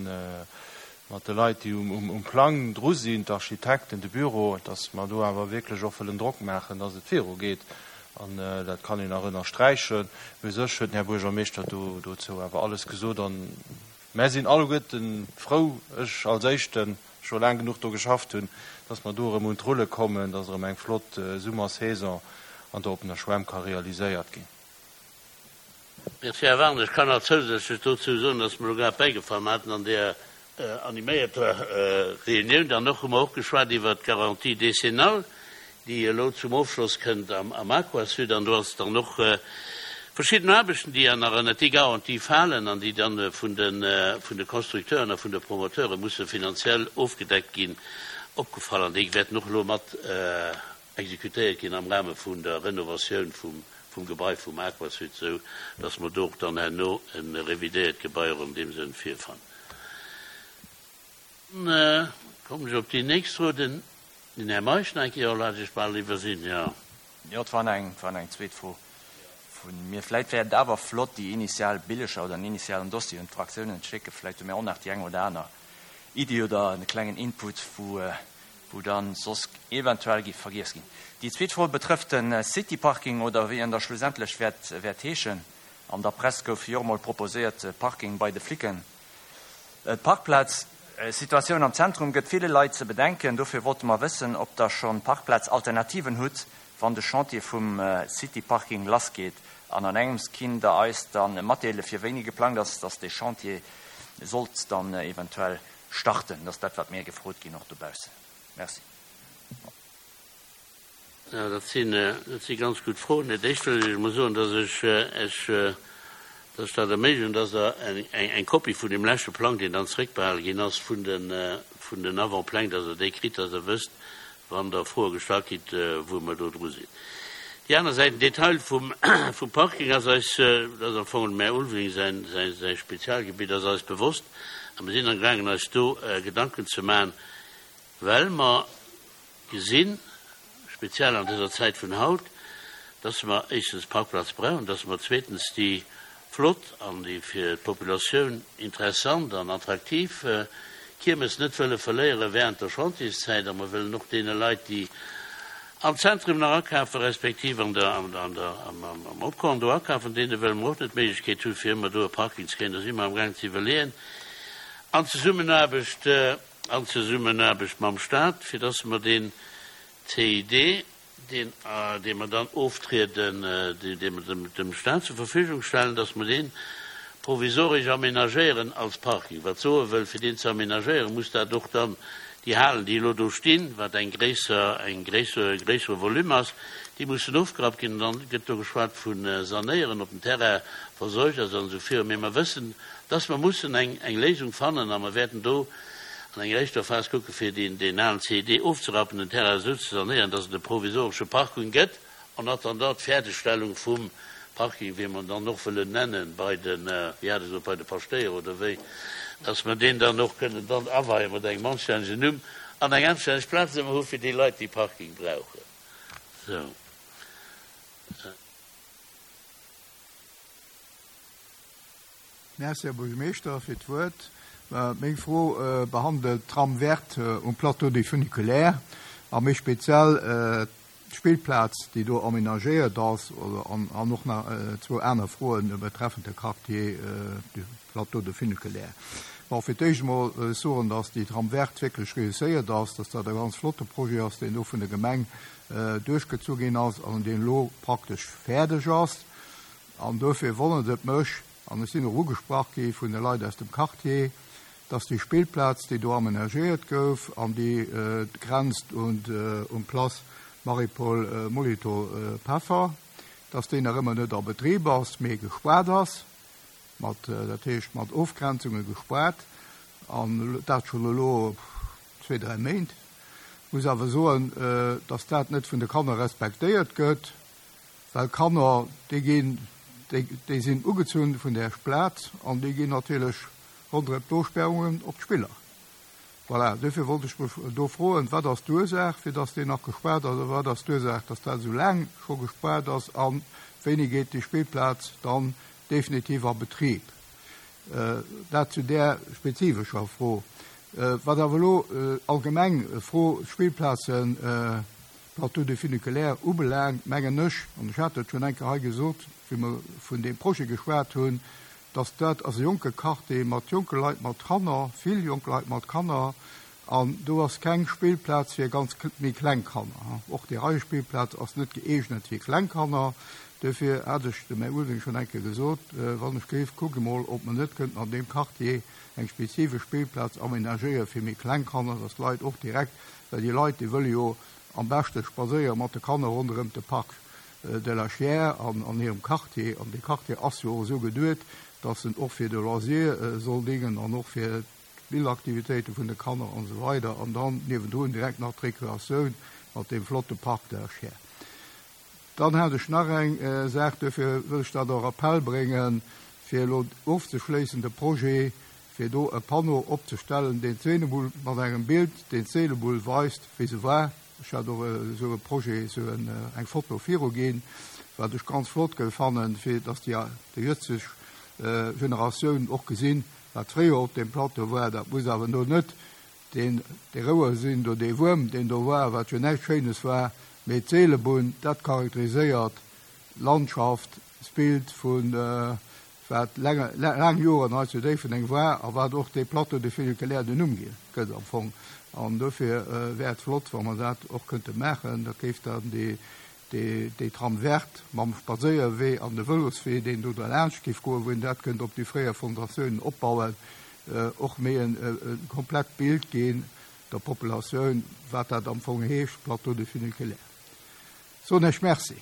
Speaker 10: mat de Leit, déi um Plang dru sinn, d'Architekten, de Büro, dass mer do awer wierklech och wëllen Drock maachen, dass et virugeet. An dat kann een nach ënnersträichen. Mee u sech huet den Här Buergermeeschter do dozou awer alles gesot. An mär sinn alleguerten frou, ech als Éischten, scho laang genuch do geschafft hunn, dass mer do erëm un d'Rulle kommen, dass erëm eng flott Summersaison an der oppener Schwämm ka realiséiert ginn.
Speaker 1: Merci, Här Wagener. Ech kann nach zousätzlech dozou soen, dass mer elo grad bäigefall, mer haten an där animéierter Reunioun dann och, hu mer och geschwat iwwert d'Garantie décennale, déi elo zum Ofschloss kënnt am Aquasud. An do ass dann och verschidden Aarbechten, déi ja nach ënnert déi Garantie falen an déi dann vun de vun de Constructeuren a vun de Promoteure musse finanziell ofgedeckt ginn, opgefall. An déi wäerten och elo mat exekutéiert ginn am Rahme vun der Renovatioun vum vum Gebai vum Aquasud, esou dass mer do och dann herno e revidéiert Gebai och an deem Sënn virfannen. Dann kommen ech op déi nächst Fro, den Här Meisch nach eng Kéier, oh, hat ech bal iwwersinn, jo.
Speaker 9: Jo, et war nach eng, et war nach eng zweet Fro vu mir. Vläicht wär et awer flott, déi initial Billeger oder den initialen Dossier un d'Fraktiounen ze schécken. Vläicht hu mir och nach déi eng oder aner Iddi oder e klengen Input, wou wou dann soss eventuell géif vergiess ginn. Déi zweet Fro betrëfft de City-Parking oder wéi en da schlussendlech wäert wäert heeschen. An der Press gouf jo och mol proposéiert, Parking bei de Flicken. D'Parkplaz-Situatioun am Zentrum gëtt ville Leit ze bedenken. Dofir wollte mer wëssen, ob Der schonn Parkplaz-Alternativen hutt, wann de Chantier vum City-Parking lassgeet. An an engems kinnt Der eis da matdeele fir wéini geplangt ass, dass dee Chantier sollt dann eventuell Starten. Dat ass dat, wat mir gefrot ginn, och dobaussen. Merci.
Speaker 1: Jo, dat sinn, dat si ganz gutt Froen. Dat Éischt wëll ech emol soen, dass ech Esch. Dass ech dat erméiglechen, dass Der eng Kopie vun deem leschte Plang, deen dann zréckbehale ginn ass, vun den Avant-Pläng, dass Der déi kritt, dass Der wësst, wann Der Froe gestallt kritt, wou mer do dru sinn. Déi aner Säit, den Detail vum Parking ass eis, dat ass am Fong dem Här Ulveling säi Spezialgebitt, ass eis bewosst a mir sinn amgaangen eis do Gedanken ze maachen, well mer gesinn, speziell an dëser Zäit vun haut, dass mer éischstens Parkplaz brauchen, dass mer zweetens déi flott an déi fir d'Populatioun interessant an attraktiv Kiermes net wëlle verléiere während der Chantierszäit a mer wëllen och deene Leit, déi am Zentrum nach akafen, respektiv an der, an der, am Opkorn do akafen, deene wëlle mer och net d'Méiglechkeet hunn, fir ëmmer do e Parking ze kréien. Do si mer amgaang ze iwwerleeën an Zesummenaarbecht, an Zesummenaarbecht mam Stat, fir dass mer deen CID, deen, dee mer dann oftrieden, dee mer dem, dem Stat zur Verfügung stellen, dass mer dee provisoresch aménagéieren als Parking. Wat soe wëll, fir deen ze aménagéieren, muss dat och dann déi Halen, déi elo do stinn, wat eng gréisser, eng gréisser, e gréissere Volume ass, déi mussen ofgerappt ginn. An dann gëtt do geschwat vu sanéieren op dem Terrain versuergt ass an esou virun. Mee mer wëssen, dass mer mussen eng, eng Léisung fannen a mer wäerten do an enger éischter Phas kucke fir deen deen alen CID ofzerappen, den Terrain esou ze sanéieren, dass et e provisoresche Parking gëtt, en attendant d'Fäerdegstellung vum Parking, wéi mer en dann och wëllen nennen, bei de, wéi hat e gesot, bei de Paschtéier oder wéi, dass mer deen dann och kënnen dann aweien mat engem anstännegen Numm an eng anstänneg Plaz ëmmer hu fir déi Leit, déi Parking brauchen. Sou.
Speaker 11: Merci, Här Buergermeeschter, fir d'Wuert. Meng Fro behandelt d'Trame verte um Plateau du Funiculaire a méi speziell d'Spillplaz, déi do aménagéiert ass, an och nach zwou aner Froe betreffend de Quartier du Plateau du Funiculaire. Bon, fir d'éischt emol wëll ech soen, dass déi Trame verte wierklech réusséiert ass, dass dat e ganz flotte Projet ass, deen do vun der Gemeng duerchgezu ginn ass an deen elo praktesch fäerdeg ass. An dofir wonnert et mech, an ech sinn och ugesprach gi vun de Leit aus dem Quartier, dass déi Spillplaz, déi do amenagéiert gouf an déi grenzt un d'Place Marie-Paul Molitor-Peffer, dass déi nach ëmmer net a Betrib ass, mee gespaart ass, mat, dat heescht mat Ofgrenzunge gespaart, an dat schonn elo zwee, dräi Méint. Ech muss awer soen, dass dat net vun de Kanner respektéiert gëtt. Well Kanner, déi ginn, déi sinn ugezunn vun där Plaz an déi ginn natierlech ronderëm d'Ofsperrungen op d'Spiller. Voilà, duerfir wollt ech mech do froen, wat ass d'Ursaach, fir dass déi nach gespaart ass, a wat ass d'Ursaach, dass dat esou laang scho gespaart ass a wéini geet déi Spillplaz dann definitiv a Betrib? Dat zu där spezifescher Fro. Wat awer elo allgemeng Fro Spillplazen, Wat do de Funiculaire ubelaangt, mengen ech, an ech hat dat schonn eng Kéier hei gesot, wéi mer vun deem Projet geschwat hunn, dass dat ass e jonke Quartier mat jonke Leit, mat Kanner, vill jonk Leit mat Kanner, an do ass keng Spillplaz fir ganz méi kleng Kanner. Och déi Reiespillplaz ass net gëeegnet fir kleng Kanner. Duerfir hat ech dem Här Ulveling schonn eng Kéier gesot, wann ech géif, kuckt emol, ob mer net kënnten an deem Quartier eng spezifesch Spillplaz aménagéiere fir méi kleng Kanner, dass d'Leit och direkt Well déi Leit, déi wëlle jo am beschte spadséiere mat de Kanner ronderëm de Parc de la Chiers an an hirem Quartier. An dee Quartier ass jo och esou geduet, dass en och fir de Loisir soll dingen an och fir d'Spillaktivitéite vun de Kanner an esou weider. An dann niewendrun direkt nach d'Rekreatioun mat deem flotte Parc de la Chiers. Dann hat ech nach eng Saach, duerfir wëll ech dat och Appell bréngen, fir elo ofzeschléissen de Projet, fir do e Panneau opzestellen, deen d'Seenebull mat engem Bild, deen d'Seelebull weist, wéi se war. Ech hat och esou e Projet, esou eng Foto viruginn, wat ech ganz flott géif fannen, fir datt déi jëtzeg Generatioun och gesinn, wat fréier op deem Plateau war. Dat muss awer elo net Deen, dee Rouer sinn do, dee Wuerm, deen do war, wat jo näischt Schéines war, mee d'Seelebunn, dat charakteriséiert d'Landschaft, d'Bild vu wat laang Joren hei zu Déifferdeng war a wat och dee Plateau de Funiculaire den Numm gi gëtt am Fong. An dofir wär et flott, wa mer dat och kënnte maachen. Dat géif dann déi, déi Trame verte mam Spadséierwee an de Vëloswee, deen do derlaanscht géif goen, wou een dat kënnt op déi fréier Fondatiounen opbauen, och méi e komplett Bild ginn der Populatioun, wat dat am Fong heescht, Plateau de Funiculaire. Soen Iech Merci.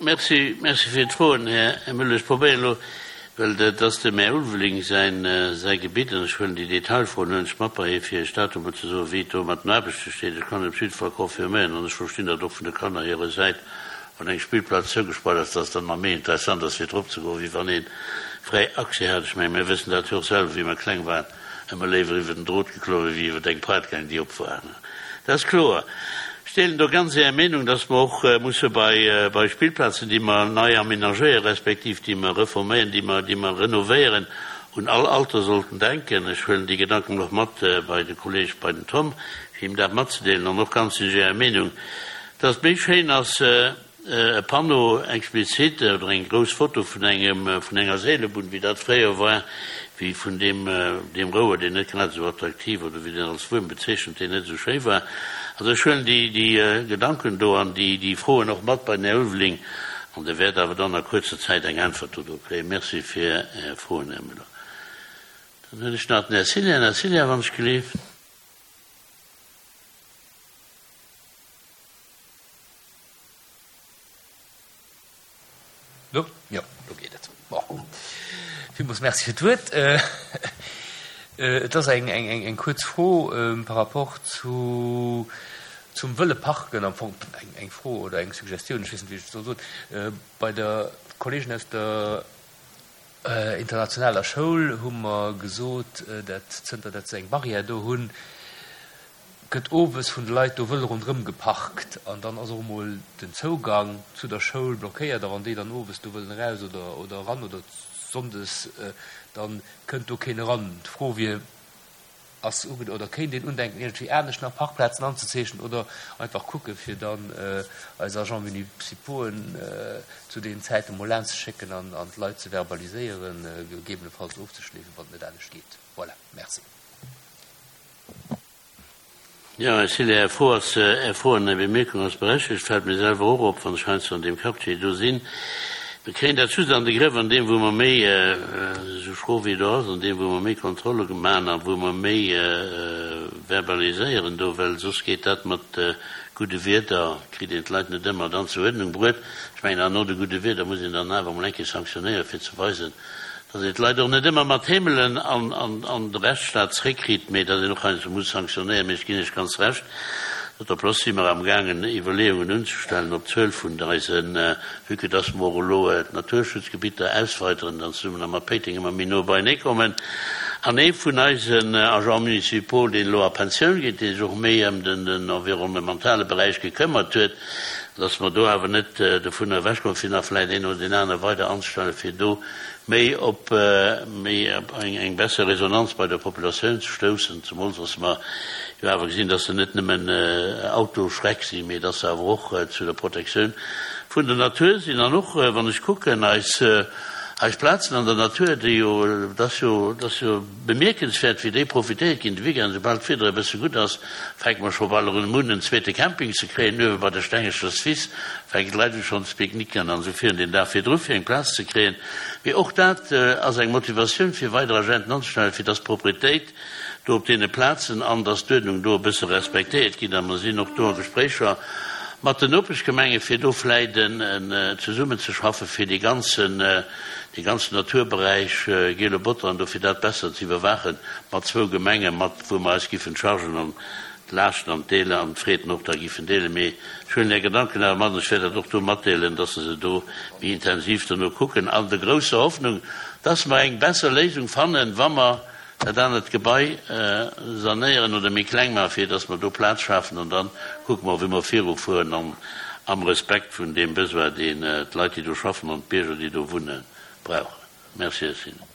Speaker 1: Merci, merci fir d'Froen, Här Müller. Ech probéieren elo, well dat ass dem Här Ulveling säin, säi Gebitt, an ech huelen déi Detailfroen huelen ech mat bei hie, fir Iech dat emol ze soen, wéi et do mat den Aarbechte steet. Ech kann et op jidde Fall confirméieren, an ech verstinn dat och vun de Kanner hirer Säit, wann eng Spillplaz zougespaart ass, dass et dann nach méi interessant ass, fir drop ze goen, wéi wann ee fräi Accès hat. Ech mengen, mir wëssen dat jo och selwer, wéi mer kleng waren. Ëmmer léiwer iwwer den Drot geklommen, wéi iwwer eng Praatgaang, déi op war. Dat ass kloer. Ech deelen do ganz Är Meenung, dass mer och musse bei, bei Spillplazen, déi mer nei aménagéieren, respektiv déi mer reforméieren, déi mer, déi mer renovéieren, un all Alter sollten denken. Ech huelen déi Gedanken och mat bei de Kolleeg, bei den Tom, fir him dat matzedeelen. An och ganz sinn ech Ärer Meenung, dass et méi schéin ass, E Panneau explizit oder eng grouss Foto vun engem, vun enger Seelebunn, wéi dat fréier war, wéi vun deem, deem Rouer, deen net grad esou attraktiv oder wéi deen als Wuerm bezeechent, deen net esou schéi war. Also ech huelen déi, déi Gedanken do an déi, déi Froen och mat bei den Här Ulveling an Der wäert awer dann a kuerzer Zäit eng Äntwert dodo kréien. Merci fir Är Froen, Här Müller. Dann hunn ech nach den Här Cillien. Här Cillien, wann ech gleef.
Speaker 12: Lo? Jo, lo geet et. Bon. Villmools Merci fir d'Wuert. Et ass eng, eng, eng, eng kuerz Fro par rapport zu, zum wëlle Parken am Fong. Eng, eng Fro oder eng Suggestioun, ech weess net, wéi ech et soll soen. Bei der Kolleegen aus der internationaler Schoul hu mer gesot, dat zënter dat se eng Barrière do hunn, gëtt owes vun de Leit do wëll ronderëm geparkt an dann ass och emol den Zougang zu der Schoul blockéiert a wann déi dann owes do wëllen eraus oder oder eran oder sonndes, dann kënnt do keen eran. D'Fro wier, ass uge oder kéint een undenken iergendwéi anescht nach Parkplazen anzezeechnen oder einfach kucke fir dann eis Agents municipauxen zu deenen Zäiten emol laanschzeschécken an an d'Leit ze verbaliséieren, gegebenefalls ofzeschleefen, wann et net anescht geet. Voilà, merci.
Speaker 1: Jo, Här Cillé, Är Fro ass, Är Fro an Är Bemierkung ass berechtigt. Fält mir selwer och op, wann ech heiansdo an deem Quartier do sinn. Mir kréien dat just an de Grëff an deem, wou mer méi, esou schro wéi et och ass, an deem, wou mer méi Kontrolle maachen a wou mer méi verbaliséieren do, well soss geet dat mat gudde Wierder, kritt een d'Leit net ëmmer dann zur Uerdnung bruet. Ech mengen, an no de gudde Wierder muss een dann awer emol eng Kéier sanktionéieren, fir ze weisen, Datt een d'Leit och net ëmmer mat Heemelen an de Rechtsstaat zréckkritt, mee datt een och heiansdo muss sanktionéieren. Mee ech ginn Iech ganz Recht, datt op place si mer amgaangen Iwwerleeungen unzestellen op d'Zuel vun eisen, vue que dass mer och elo d'Naturschutzgebitter ausweiteren an zesummen mat Péiteng ëmmer méi no beienee kommen. An ee vun eisen Agents municipaux, deen elo a Pensioun geet, dee sech och méi ëm den environnementale Beräich gekëmmert huet, datt mer do awer net dovunner ewechkommen, fir nach vläicht een oder deen anere weider anzestellen, fir do méi op méi op eng eng besser Resonanz bei der Populatioun ze stoussen, zemools dass mer jo awer gesinn, dass se net nëmmen Autoschreck sinn, mee dass se awer och zu der Protektioun vun der Natur sinn. An och wann ech kucken eis eis Plazen an der Natur, déi jo, et ass jo, et ass jo bemierkenswäert, wéi déi profitéiert ginn de Weekend, soubal d'Wieder e bësse gutt ass, fänke mer scho bal erëm un en zweete Camping ze kréien uewe bei der Stengecher Wiss. Fänken d'Leit u schonn ze picknicken an esou virun den Dag virdru fir eng Plaz ze kréien. Mee och dat ass eng Motivatioun fir weider Agenten anzestellen, fir dass d'Propretéit do op deene Plazen an dass d'Uerdnung do e bësse respektéiert ginn. A mer sinn och do a Gespréicher mat den Nopeschgemenge fir do vläit en zesummenzeschaffen, fir dee ganzen, dee ganzen Naturberäich Giele Botter an do fir dat besser ze iwwerwaachen mat zwou Gemenge mat wou mer eis giffen d'Chargen an d'Laaschten an d'Deele an d'Freeden och da giffen deelen. Mee ech huelen Är Gedanken awer mat an ech wäert dat och do matdeelen, dass se se do méi intensiv dono kucken, an der grousser Hoffnung, dass mer eng besser Léisung fannen, wa mer dat anert Gebai sanéieren oder méi kleng maachen, fir dass mer do Plaz schafen. An da kucke mer, wéi mer virufueren an am Respekt vun deem Besoin, deen d'Leit, déi do schaffen, an d'Bierger, déi do wunnen, brauchen. Merci, Här Sinner.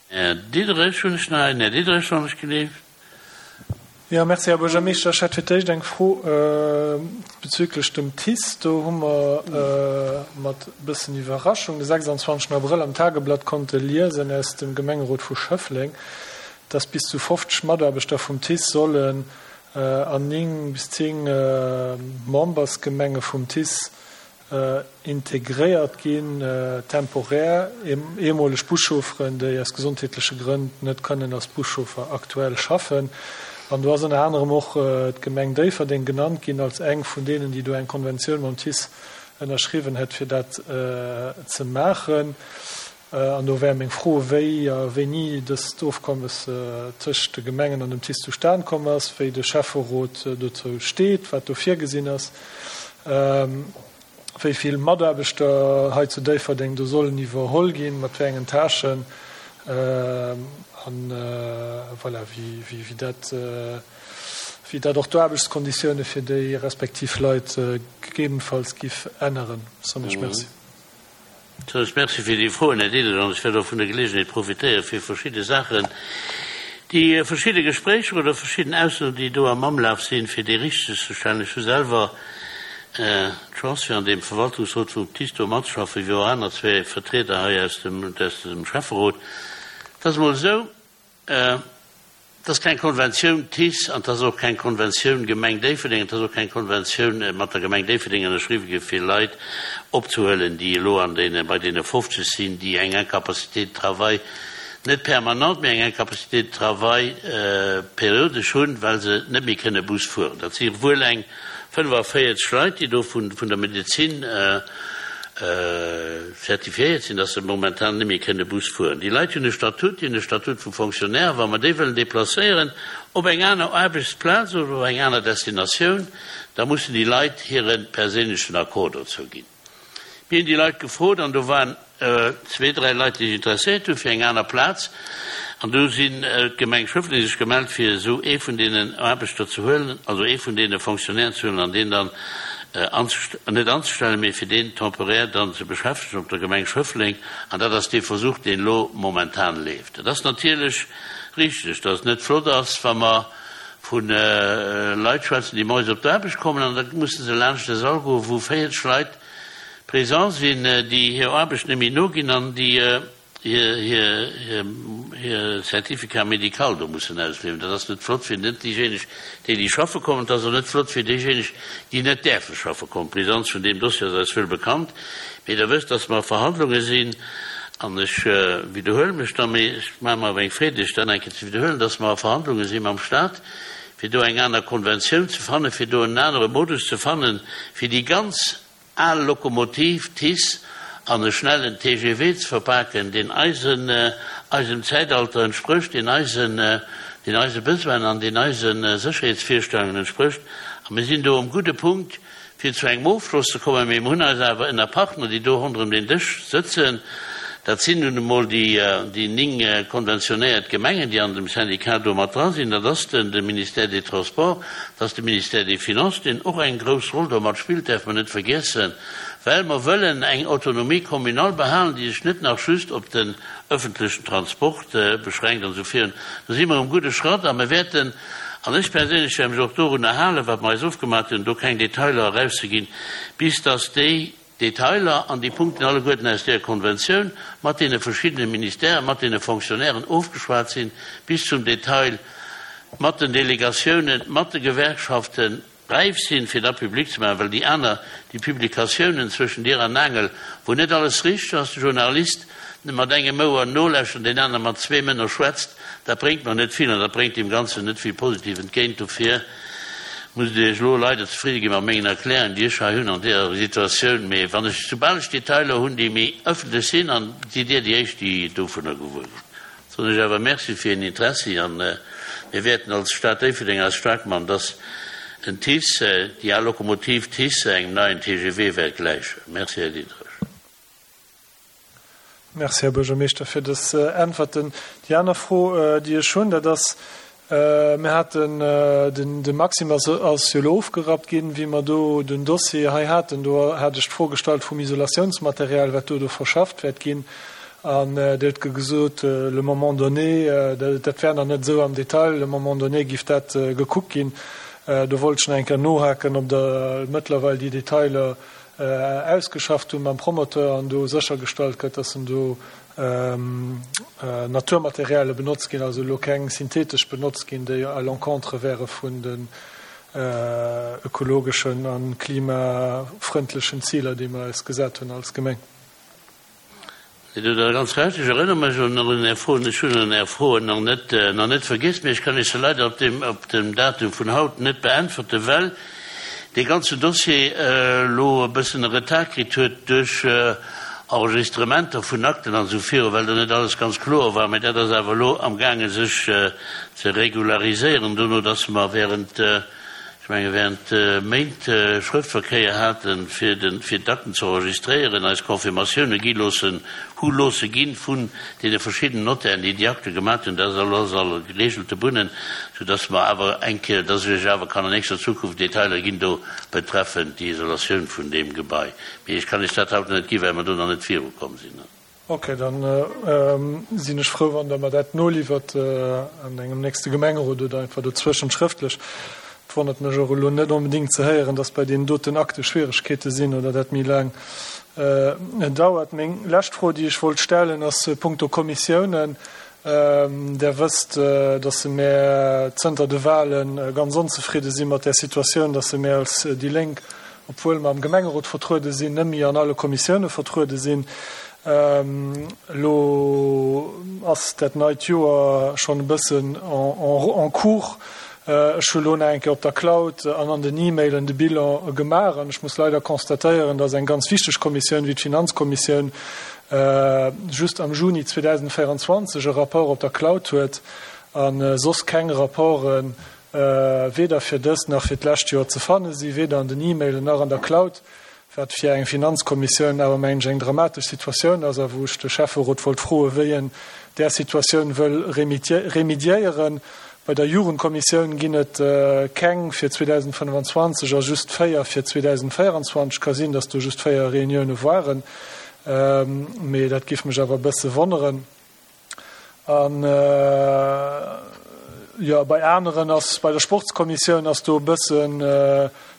Speaker 1: Här Diderich hunn ech nach een. Här Diderich, wann ech geleeft.
Speaker 4: Jo, merci, Här Buergermeeschter. Ech hätt fir d'éischt eng Fro bezüglech dem TICE. Do hu mer mat e bëssen Iwwerraschung de 26 Abrëll am Tageblatt konnte liesen aus dem Gemengerot vu Schëffleng, dass bis zu 50 Mataarbechter vum TICE sollen an 9 bis 10 Membersgemenge vum TICE integréiert ginn, temporär, ehemoleg Buschaufferen, déi aus gesondheetleche Grënn net kënnen als Buschauffer aktuell schaffen. An do ass ënner anerem och d'Gemeng Déifferdeng genannt ginn als eng vun deenen, déi do eng Konventioun mam TICE ënnerschriwwen hätt, fir dat ze maachen. An do wär meng Fro, wéi a wéini dëst Ofkommes tëscht de Gemengen an dem TICE zustan komm ass, wéi de Schäfferot dozou steet, wat do virgesinn ass, wéi vill Mataarbechter hei zu Déifferdeng do sollen iwwerholl ginn, mat wéi engen Tâchen an voilà, wéi dat, wéi dat och d'Aarbechtskonditioune fir déi respektiv Leit gegebenfalls giff änneren. Soen ech Merci.
Speaker 1: Zunächst Merci fir déi Froen, Här Diderich, an ech wäert och vun der Geleegenheet profitéieren, fir verschidde Saachen, déi verschidde Gespréicher oder verschidden Aussoen, déi do am Amlaf sinn, fir déi richtegzestellen. Ech hu selwer d'Chance, fir an deem Verwaltungsrot vum TICE do matzeschaffen, wéi och aner zwee Vertrieder hei aus dem Schäfferot. Et ass emol esou, Et ass keng Konventioun TICE an et ass och keng Konventioun Gemeng Déifferdeng, et ass och keng Konventioun mat der Gemeng Déifferdeng ënnerschriwwe gi fir Leit opzehuelen, déi elo an deene, bei deene 50 sinn, déi eng Incapacité de travail, net permanente, mee eng Incapacité de travail periodesch hunn, well se net méi kënne Bus fueren. Dat si wuel eng 45 Leit, déi do vun der Medezin zertifiéiert sinn, dass se momentan net méi kënne Bus fueren. Déi Leit hunn e Statut, déi hunn e Statut vu Fonctionnaire. Wa mer déi wëllen deplacéieren op eng aner Aarbechtsplaz oder op eng aner Destinatioun, da mussen déi Leit hire perséinlechen Accord dozou ginn. Mir hunn déi Leit gefrot an do waren zwee, dräi Leit, déi sech interesséiert hu fir eng aner Plaz. An do sinn d'Gemeng Schëffleng sech gemellt, fir esou ee vun deenen Aarbechter ze huelen, also ee vun deene Fonctionnairen ze huelen an deen dann net anzestellen, mee fir deen temporaire dann ze beschäftegen op der Gemeng Schëffleng. An dat ass dee Versuch, deen elo momentan leeft. Et ass natierlech richteg, datt et net flott ass, wa mer vu Leit schwätzen, déi moies op d'Aarbecht kommen an da musse se laanscht e Sall goen, wou 40 Leit présent sinn, déi hir Aarbecht net méi noginn an déi hir Certificat médical do mussen ausliewen. Dat ass net flott fir net déijéineg, déi déi schaffe kommen. Et ass och net flott fir déijéineg, déi net däerfe schaffe kommen. D'Brisanz vun deem Dossier ass eis wuel bekannt. Mee Der wësst, dass mer a Verhandlunge sinn, an ech widderhuele mech da, mee ech maache mer awer eng Freed, Iech dat eng Kéier ze widderhuelen, dass mer a Verhandlunge si mam Stat, fir do eng aner Konventioun ze fannen, fir do en anere Modus ze fannen, fir déi ganz al Lokomotiv TICE an e schnellen TGV ze verpaken, deen eisen, eisem Zäitalter entsprécht, deen eisen, deen eise Besoinen an deen eise Sécherheetsvirstellungen entsprécht. A mir sinn do um gudde Punkt, fir zu engem Ofschloss ze kommen. Mee mir hunn eis awer ënner Partner, déi do ronderëm den Dësch sëtzen, dat sinn nun emol déi, déi 9 konventionéiert Gemengen, déi an dem Syndicat do mat dra sinn, dat ass den, de Ministère des Transports, dat ass de Ministère des Finances, deen och eng grouss Roll do mat spillt, däerf mer net vergiessen, well mer wëllen eng Autonomie communale behalen, déi sech net nach just op den öffentlechen Transport beschränkt an esou virun. Do si mer um gudde Schratt a mer wäerten, an ech perséinlech wäert mech och dorunner halen, wat mer eis ofgemaach hunn, do keng Detailer erauszeginn, bis dass déi Detailer an déi Punkten alleguerten aus där Konventioun mat deene verschiddene Ministèren, mat deene Fonctionnairen ofgeschwat sinn, bis zum Detail mat den Delegatiounen, mat de Gewerkschaften räif sinn, fir da public ze maachen, well déi aner, déi Publikatiounen zwëschen Dier an Aangel, wou net alles richteg ass, de Journalist mat engem Ouer nolauschtert an deen anere mat zwee Mënner schwätzt, dat bréngt mer net vill an dat bréngt deem Ganzen net vill positiv entgéint. Dofir musst Dir Iech elo leider zefridde gi mat mengen Erklärungen, déi ech hei hunn an deeër Situatioun. Mee wann ech, soubal ech Detailer hunn, déi méi ëffentlech sinn, an sidd Dir déi Éischt, déi dovunner gewuer ginn. Soen ech awer Merci fir Ären Interessi an mir wäerten als Stad Déifferdeng eis staark man, dass den TICE, déi al Lokomotiv TICE engem neien TGV wäert gläichen. Merci, Här Diderich.
Speaker 4: Merci, Här Buergermeeschter, fir dës Äntwerten. Déi aner Fro, déi ech hunn, dat ass, Mir haten, de Maxim ass jo elo ofgerappt ginn, wéi mer do den Dossier hei haten, do hat ech d'Fro gestallt vum Isolatiounsmaterial, wat do do verschafft wäert ginn. An Dir hutt gesot, le moment donné, dat wär nach net esou am Detail, le moment donné géif dat gekuckt ginn. Do wollt ech nach eng Kéier nohaken, ob Der mëttlerweil déi Detailer ausgeschafft hunn mam Promoteur an do séchergestallt gëtt, dass en do Naturmateriale benotzt ginn, also elo keng synthetesch benotzt ginn, déi à l'encontre wäre vun den ökologeschen a klimafrëndlechen Ziler, déi mer eis gesat hunn als Gemeng.
Speaker 1: Dir hutt da ganz Recht. Ech erënnere mech un un Är Froen. Ech hunn un Är Froen nach net, nach net vergiess, mee ech kann Iech se leider op deem, op dem Datum vun haut net beäntwerte well dee ganze Dossier elo e bëssen e Retard kritt huet duerch Enregistrementer vun Akten an esou viru, well do net alles ganz kloer war. Mee dat ass awer elo amgaange sech ze regulariséieren, dono dass mer während, ech menge während Méint Schrëftverkéier haten, fir de fir d'Akten ze enregistréieren, eis Confirmatioune gi loossen, hu loosse ginn vun deene verschiddenen Notairen, déi déi Akte gemat hunn. Dat ass alles a geregelte Bunnen, soudass mer awer eng Kéier, dass ech Iech awer kann an nächster Zukunft Detailer ginn do betreffend déi Isolatioun vun deem Gebai. Mee ech kann Iech dat haut nach net ginn, well mer do nach net virukomm sinn.
Speaker 4: Ok, dann sinn ech frou, wann Der mer dat noliwwert an engem nächste Gemengerot oder einfach dozwëschent schrëftlech. Et wonnert mech och elo net onbedéngt ze héieren, dass bei deenen doten Akte Schwieregkeete sinn oder dat méi laang dauert. Meng lescht Fro, déi ech wollt stellen, ass punkto Kommissiounen. Der wësst, dass mär zënter de Wahlen ganz onzefridde si mat där Situatioun, dass mär als déi Lénk, obwuel mer am Gemengerot vertruede sinn, net méi an alle Kommissioune vertruede sinn. Elo ass dat neit Joer schonn e bëssen en cours. Ech hu lo nach eng Kéier op der Cloud an an den E-Mailen de Bilan gemaach an ech muss leider constatéieren, dass eng ganz wichteg Kommissioun wéi d'Finanzkommissioun just am Juni 2024 e Rapport op der Cloud huet a soss keng Rapporte weder fir dëst nach fir d'lescht Joer ze fanne si, weder an den E-Mailen nach an der Cloud, wat fir eng Finanzkommissioun awer, mengen ech, eng dramatesch Situatioun ass a wou ech de Schäfferot wollt froen, wéi en där Situatioun wëll remédiéieren. Bei der Jugendkommissioun ginn et keng fir 2025 a just 4 fir 2024. Ka sinn, datt do just 4 Reunioune waren, mee dat géif mech awer e bësse wonneren. An jo, bei aneren ass, bei der Sportskommissioun ass do e bëssen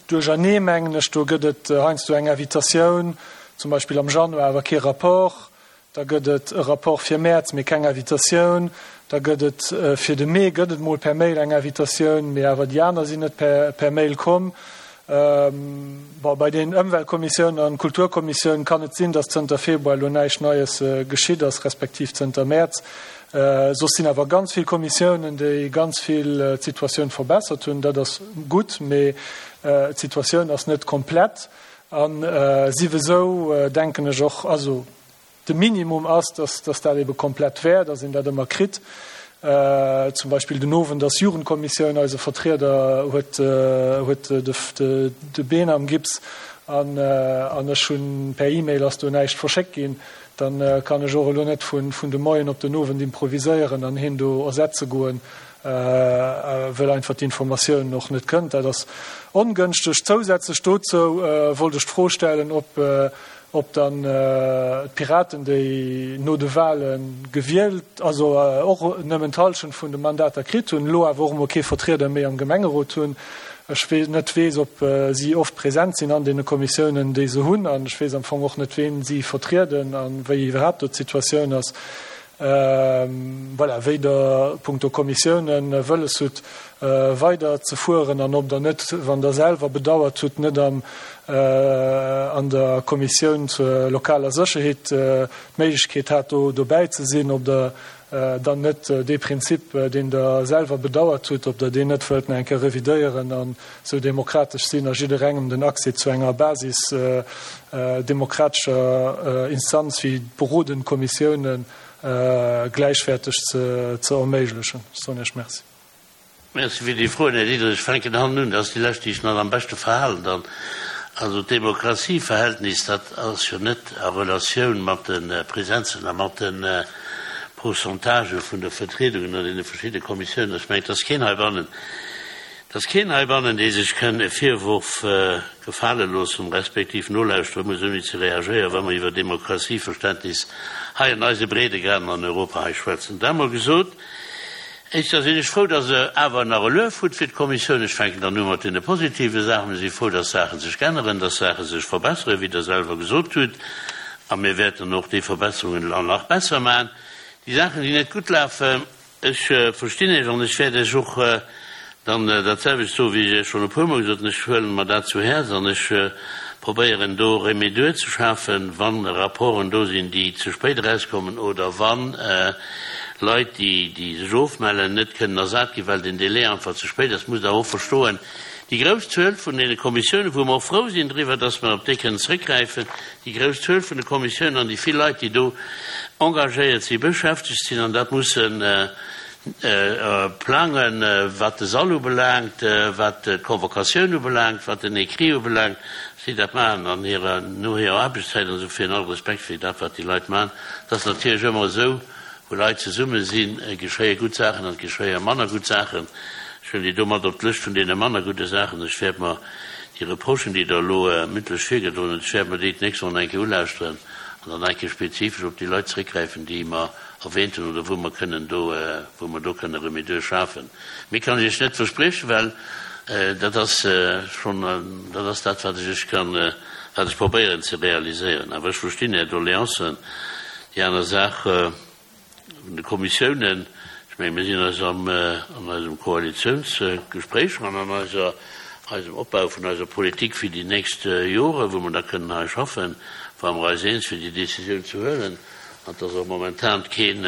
Speaker 4: duerchernee, mengen ech. Do gëtt et heiansdo eng Invitatioun, zum Beispill am Januar, awer kee Rapport. Da gëtt et e Rapport fir Mäerz, mee keng Invitatioun. Da gëtt et fir de Mee gëtt et mol per Mail eng Invitatioun, mee awer déi aner sinn net per Mail komm. Bon, bei den Ëmweltkommissioun an Kulturkommissioun kann et sinn, datt zënter Februar elo näischt Neies geschitt ass, respektiv zënter Mäerz. Soss sinn awer ganz vill Kommissiounen, déi ganz vill d'Situatioun verbessert hunn. Dat ass gutt, mee d'Situatioun ass net komplett. A siwesou denken ech och, also De Minimum ass, dass dass dat ebe komplett wär, dass een dat ëmmer kritt. Zum Beispill den Owend ass Jugendkommissioun, eise Vertrieder huet huet de de Been am Gips an an ech hunn per E-Mail ass do näischt verschéckt ginn. Dann kann ech och elo net vun vun de Moien op den Owend improviséieren an heen do ersetze goen, wëll einfach d'Informatioun och net kënnt. Dat ass ongënschteg. Zousätzlech dozou wollt ech d'Fro stellen, ob Ob dann d'Piraten, déi no de Wahle gewielt, also och nëmmen d'Hallschent vun de Mandater kritt hunn, elo awer och emol kee Vertrieder méi am Gemengerot hunn. Ech net weess, ob si oft present sinn an deene Kommissiounen, déi se hunn, an ech weess am Fong och net, ween si vertrieden a wéi iwwerhaapt do d'Situatioun ass. Voilà, wéi Der punkto Kommissiounen wëlles hutt, weider ze fueren an ob Der net, wann Der selwer bedauert hutt, net am an der Kommissioun zur lokaler Sécherheet d'Méiglechkeet hat, do dobäi ze sinn, ob Der dann net dee Prinzip, deen Der selwer bedauert hutt, ob Der deen net wëllt nach eng Kéier revidéieren an esou demokratesch sinn a jidderengem den Accès zu enger Basis demokratescher Instanz wéi d'berodend Kommissiounen gläichwäerteg ze erméiglechen. Ech soen Iech Merci.
Speaker 1: Merci fir déi Froen, Här Diderich. Ech fänken hannen un, dat ass déi lescht, déi ech nach am beschte verhalen dann. Also d'Demokratieverhältnis, dat ass jo net a Relatioun mat de Presenzen a mat de Pourcentagë vun der Vertriedungen an deene verschiddene Kommissiounen. Ech mengen, et ass keen heibannen, et ass keen heibannen, dee sech kënn e Virwurf gefale loossen, respektiv nolauschtere muss, ouni ze reagéieren, wa mer iwwer Demokratieverständnis hei an eise Breedegraden an Europa hei schwätzen. Dat emol gesot. Éischter sinn ech frou, dass Der awer nach e Luef hutt fir d'Kommissioun. Ech fänken dann u mat deene positive Saachen. Mir si frou, dass Saache sech änneren, dass Saache sech verbesseren, wéi Der selwer gesot hutt. A mir wäerten och déi Verbesserungen elo nach besser maachen. Déi Saachen, déi net gutt lafen, ech verstinn Iech an ech wäert Iech och dann dat selwecht soen, wéi ech Iech schonn e puermol gesot hunn, Ech huelen mer dat zu Häerz an ech. probéieren do Remedur ze schafen, wann Rapporten do sinn, déi ze spéit erauskommen oder wann Leit, déi sech ofmellen, net kënnen ersat ginn, well den Délai einfach ze spéit ass. Musst Der och verstoen, déi grouss Zuel vun deene Kommissiounen, wou mer och frou sinn driwwer, dass mer op déi kënnen zrëckgräifen, déi grouss Zuel vun de Kommissiounen an déi vill Leit, déi do engagéiert sinn, beschäftegt sinn an dat mussen plangen, wat de Sall ubelaangt, wat d'Convocatioun ubelaangt, wat den Écrit ubelaangt, si dat maachen an hirer, no hirer Aarbechtszäit an esou virun. All Respekt fir dat, wat déi Leit maachen. Et ass natierlech ëmmer esou, Wou Leit zesumme sinn, geschéie gutt Saachen an et geschéie manner gutt Saachen. Ech huelen déi do mat op d'Lëscht vun deene manner gudde Saachen. Ech wäert mer déi Reprochen, déi Der elo mündlech virgedroen hutt, ech wäert mer déi d'nächst Woch nach eng Kéier ulauschteren an dann nach eng Kéier spezifesch op déi Leit zréckgräifen, déi mer erwähnt hunn oder wou mer kënnen do, wou mer do kënne Remedur schafen. Méi kann ech Iech net verspriechen, well dat ass schonn, dat ass dat, wat ech Iech kann, wat ech probéieren ze realiséieren. Awer ech verstinn Är Doleancen. Déi aner Saach vun de Kommissiounen, ech menge mir sinn eis an eisem Koalitiounsgespréich an an eiser, eisem Opbau vun eiser Politik fir déi nächst Jore wou mer da kënnen hei schaffen, ware mer eis eens fir déi Décisioun ze huelen. An et ass och momentan keen,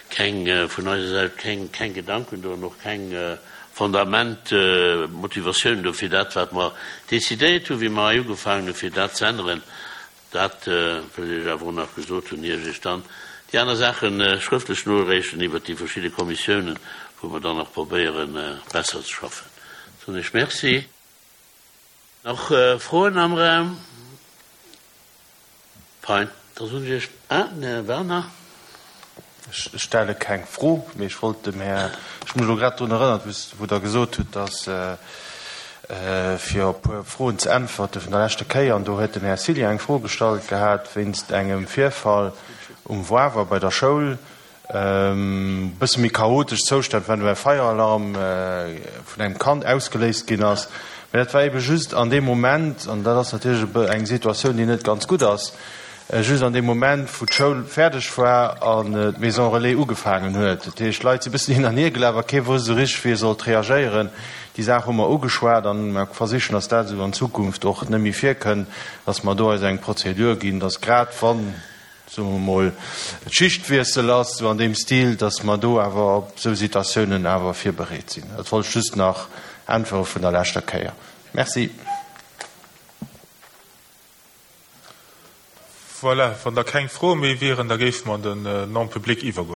Speaker 1: keng, vun eiser Säit keng, keng Gedanken do an och keng Fundament, Motivatioun do fir dat wat mer décidéiert hunn, wéi mer hei ugefaangen hunn, fir dat ze änneren. Dat wëll ech Iech awer och nach gesot hunn, ier ech Iech dann déi aner Saache schrëftlech noreechen iwwert déi verschidde Kommissiounen, wou mer dann nach probéieren, besser ze schaffen. Soen ech Merci. Nach Froen am Raum? Fein, da soen ech Iech, ah, den Här Werner.
Speaker 10: Ech stelle keng Fro, mee ech wollt dem Här, ech hu mech elo grad drun erënnert, wou Der gesot hutt, dass, fir op e puer Froen ze äntwerte vun der leschter Kéier, an do huet den Här Cillien eng Fro gestallt gehat wéinst engem Virfall um Wawer bei der Schoul, e bësse méi chaotesch Zoustand waren, wou e Feieralarm vun engem Kand ausgeléist ginn ass. Mä dat war ebe just an deem Moment, an dat ass natierlech eng Situatioun, déi net ganz gutt ass, Just an deem Moment, wou d'Schoul fäerdeg war an d'Maison Relais ugefaangen huet. Dat heescht, d'Leit si bëssen hin an hier gelaf a kee wousst esou richteg, wéi e sollt reagéieren. Déi Saach hu mer ugeschwat an mer versichen, dass dat esou an Zukunft och net méi virkënnt, dass mer do eis eng Prozedur ginn, dass grad wann, soe mer mol, et Schichtwiessel ass, esou an deem Stil, dass mer do awer op esou Situatiounen awer virbereet sinn. Dat wollt ech just nach äntwere vun der leschter Kéier. Merci.
Speaker 3: Voilà, wann da keng Froe méi wieren, da géife mer an den Non-public iwwergoen.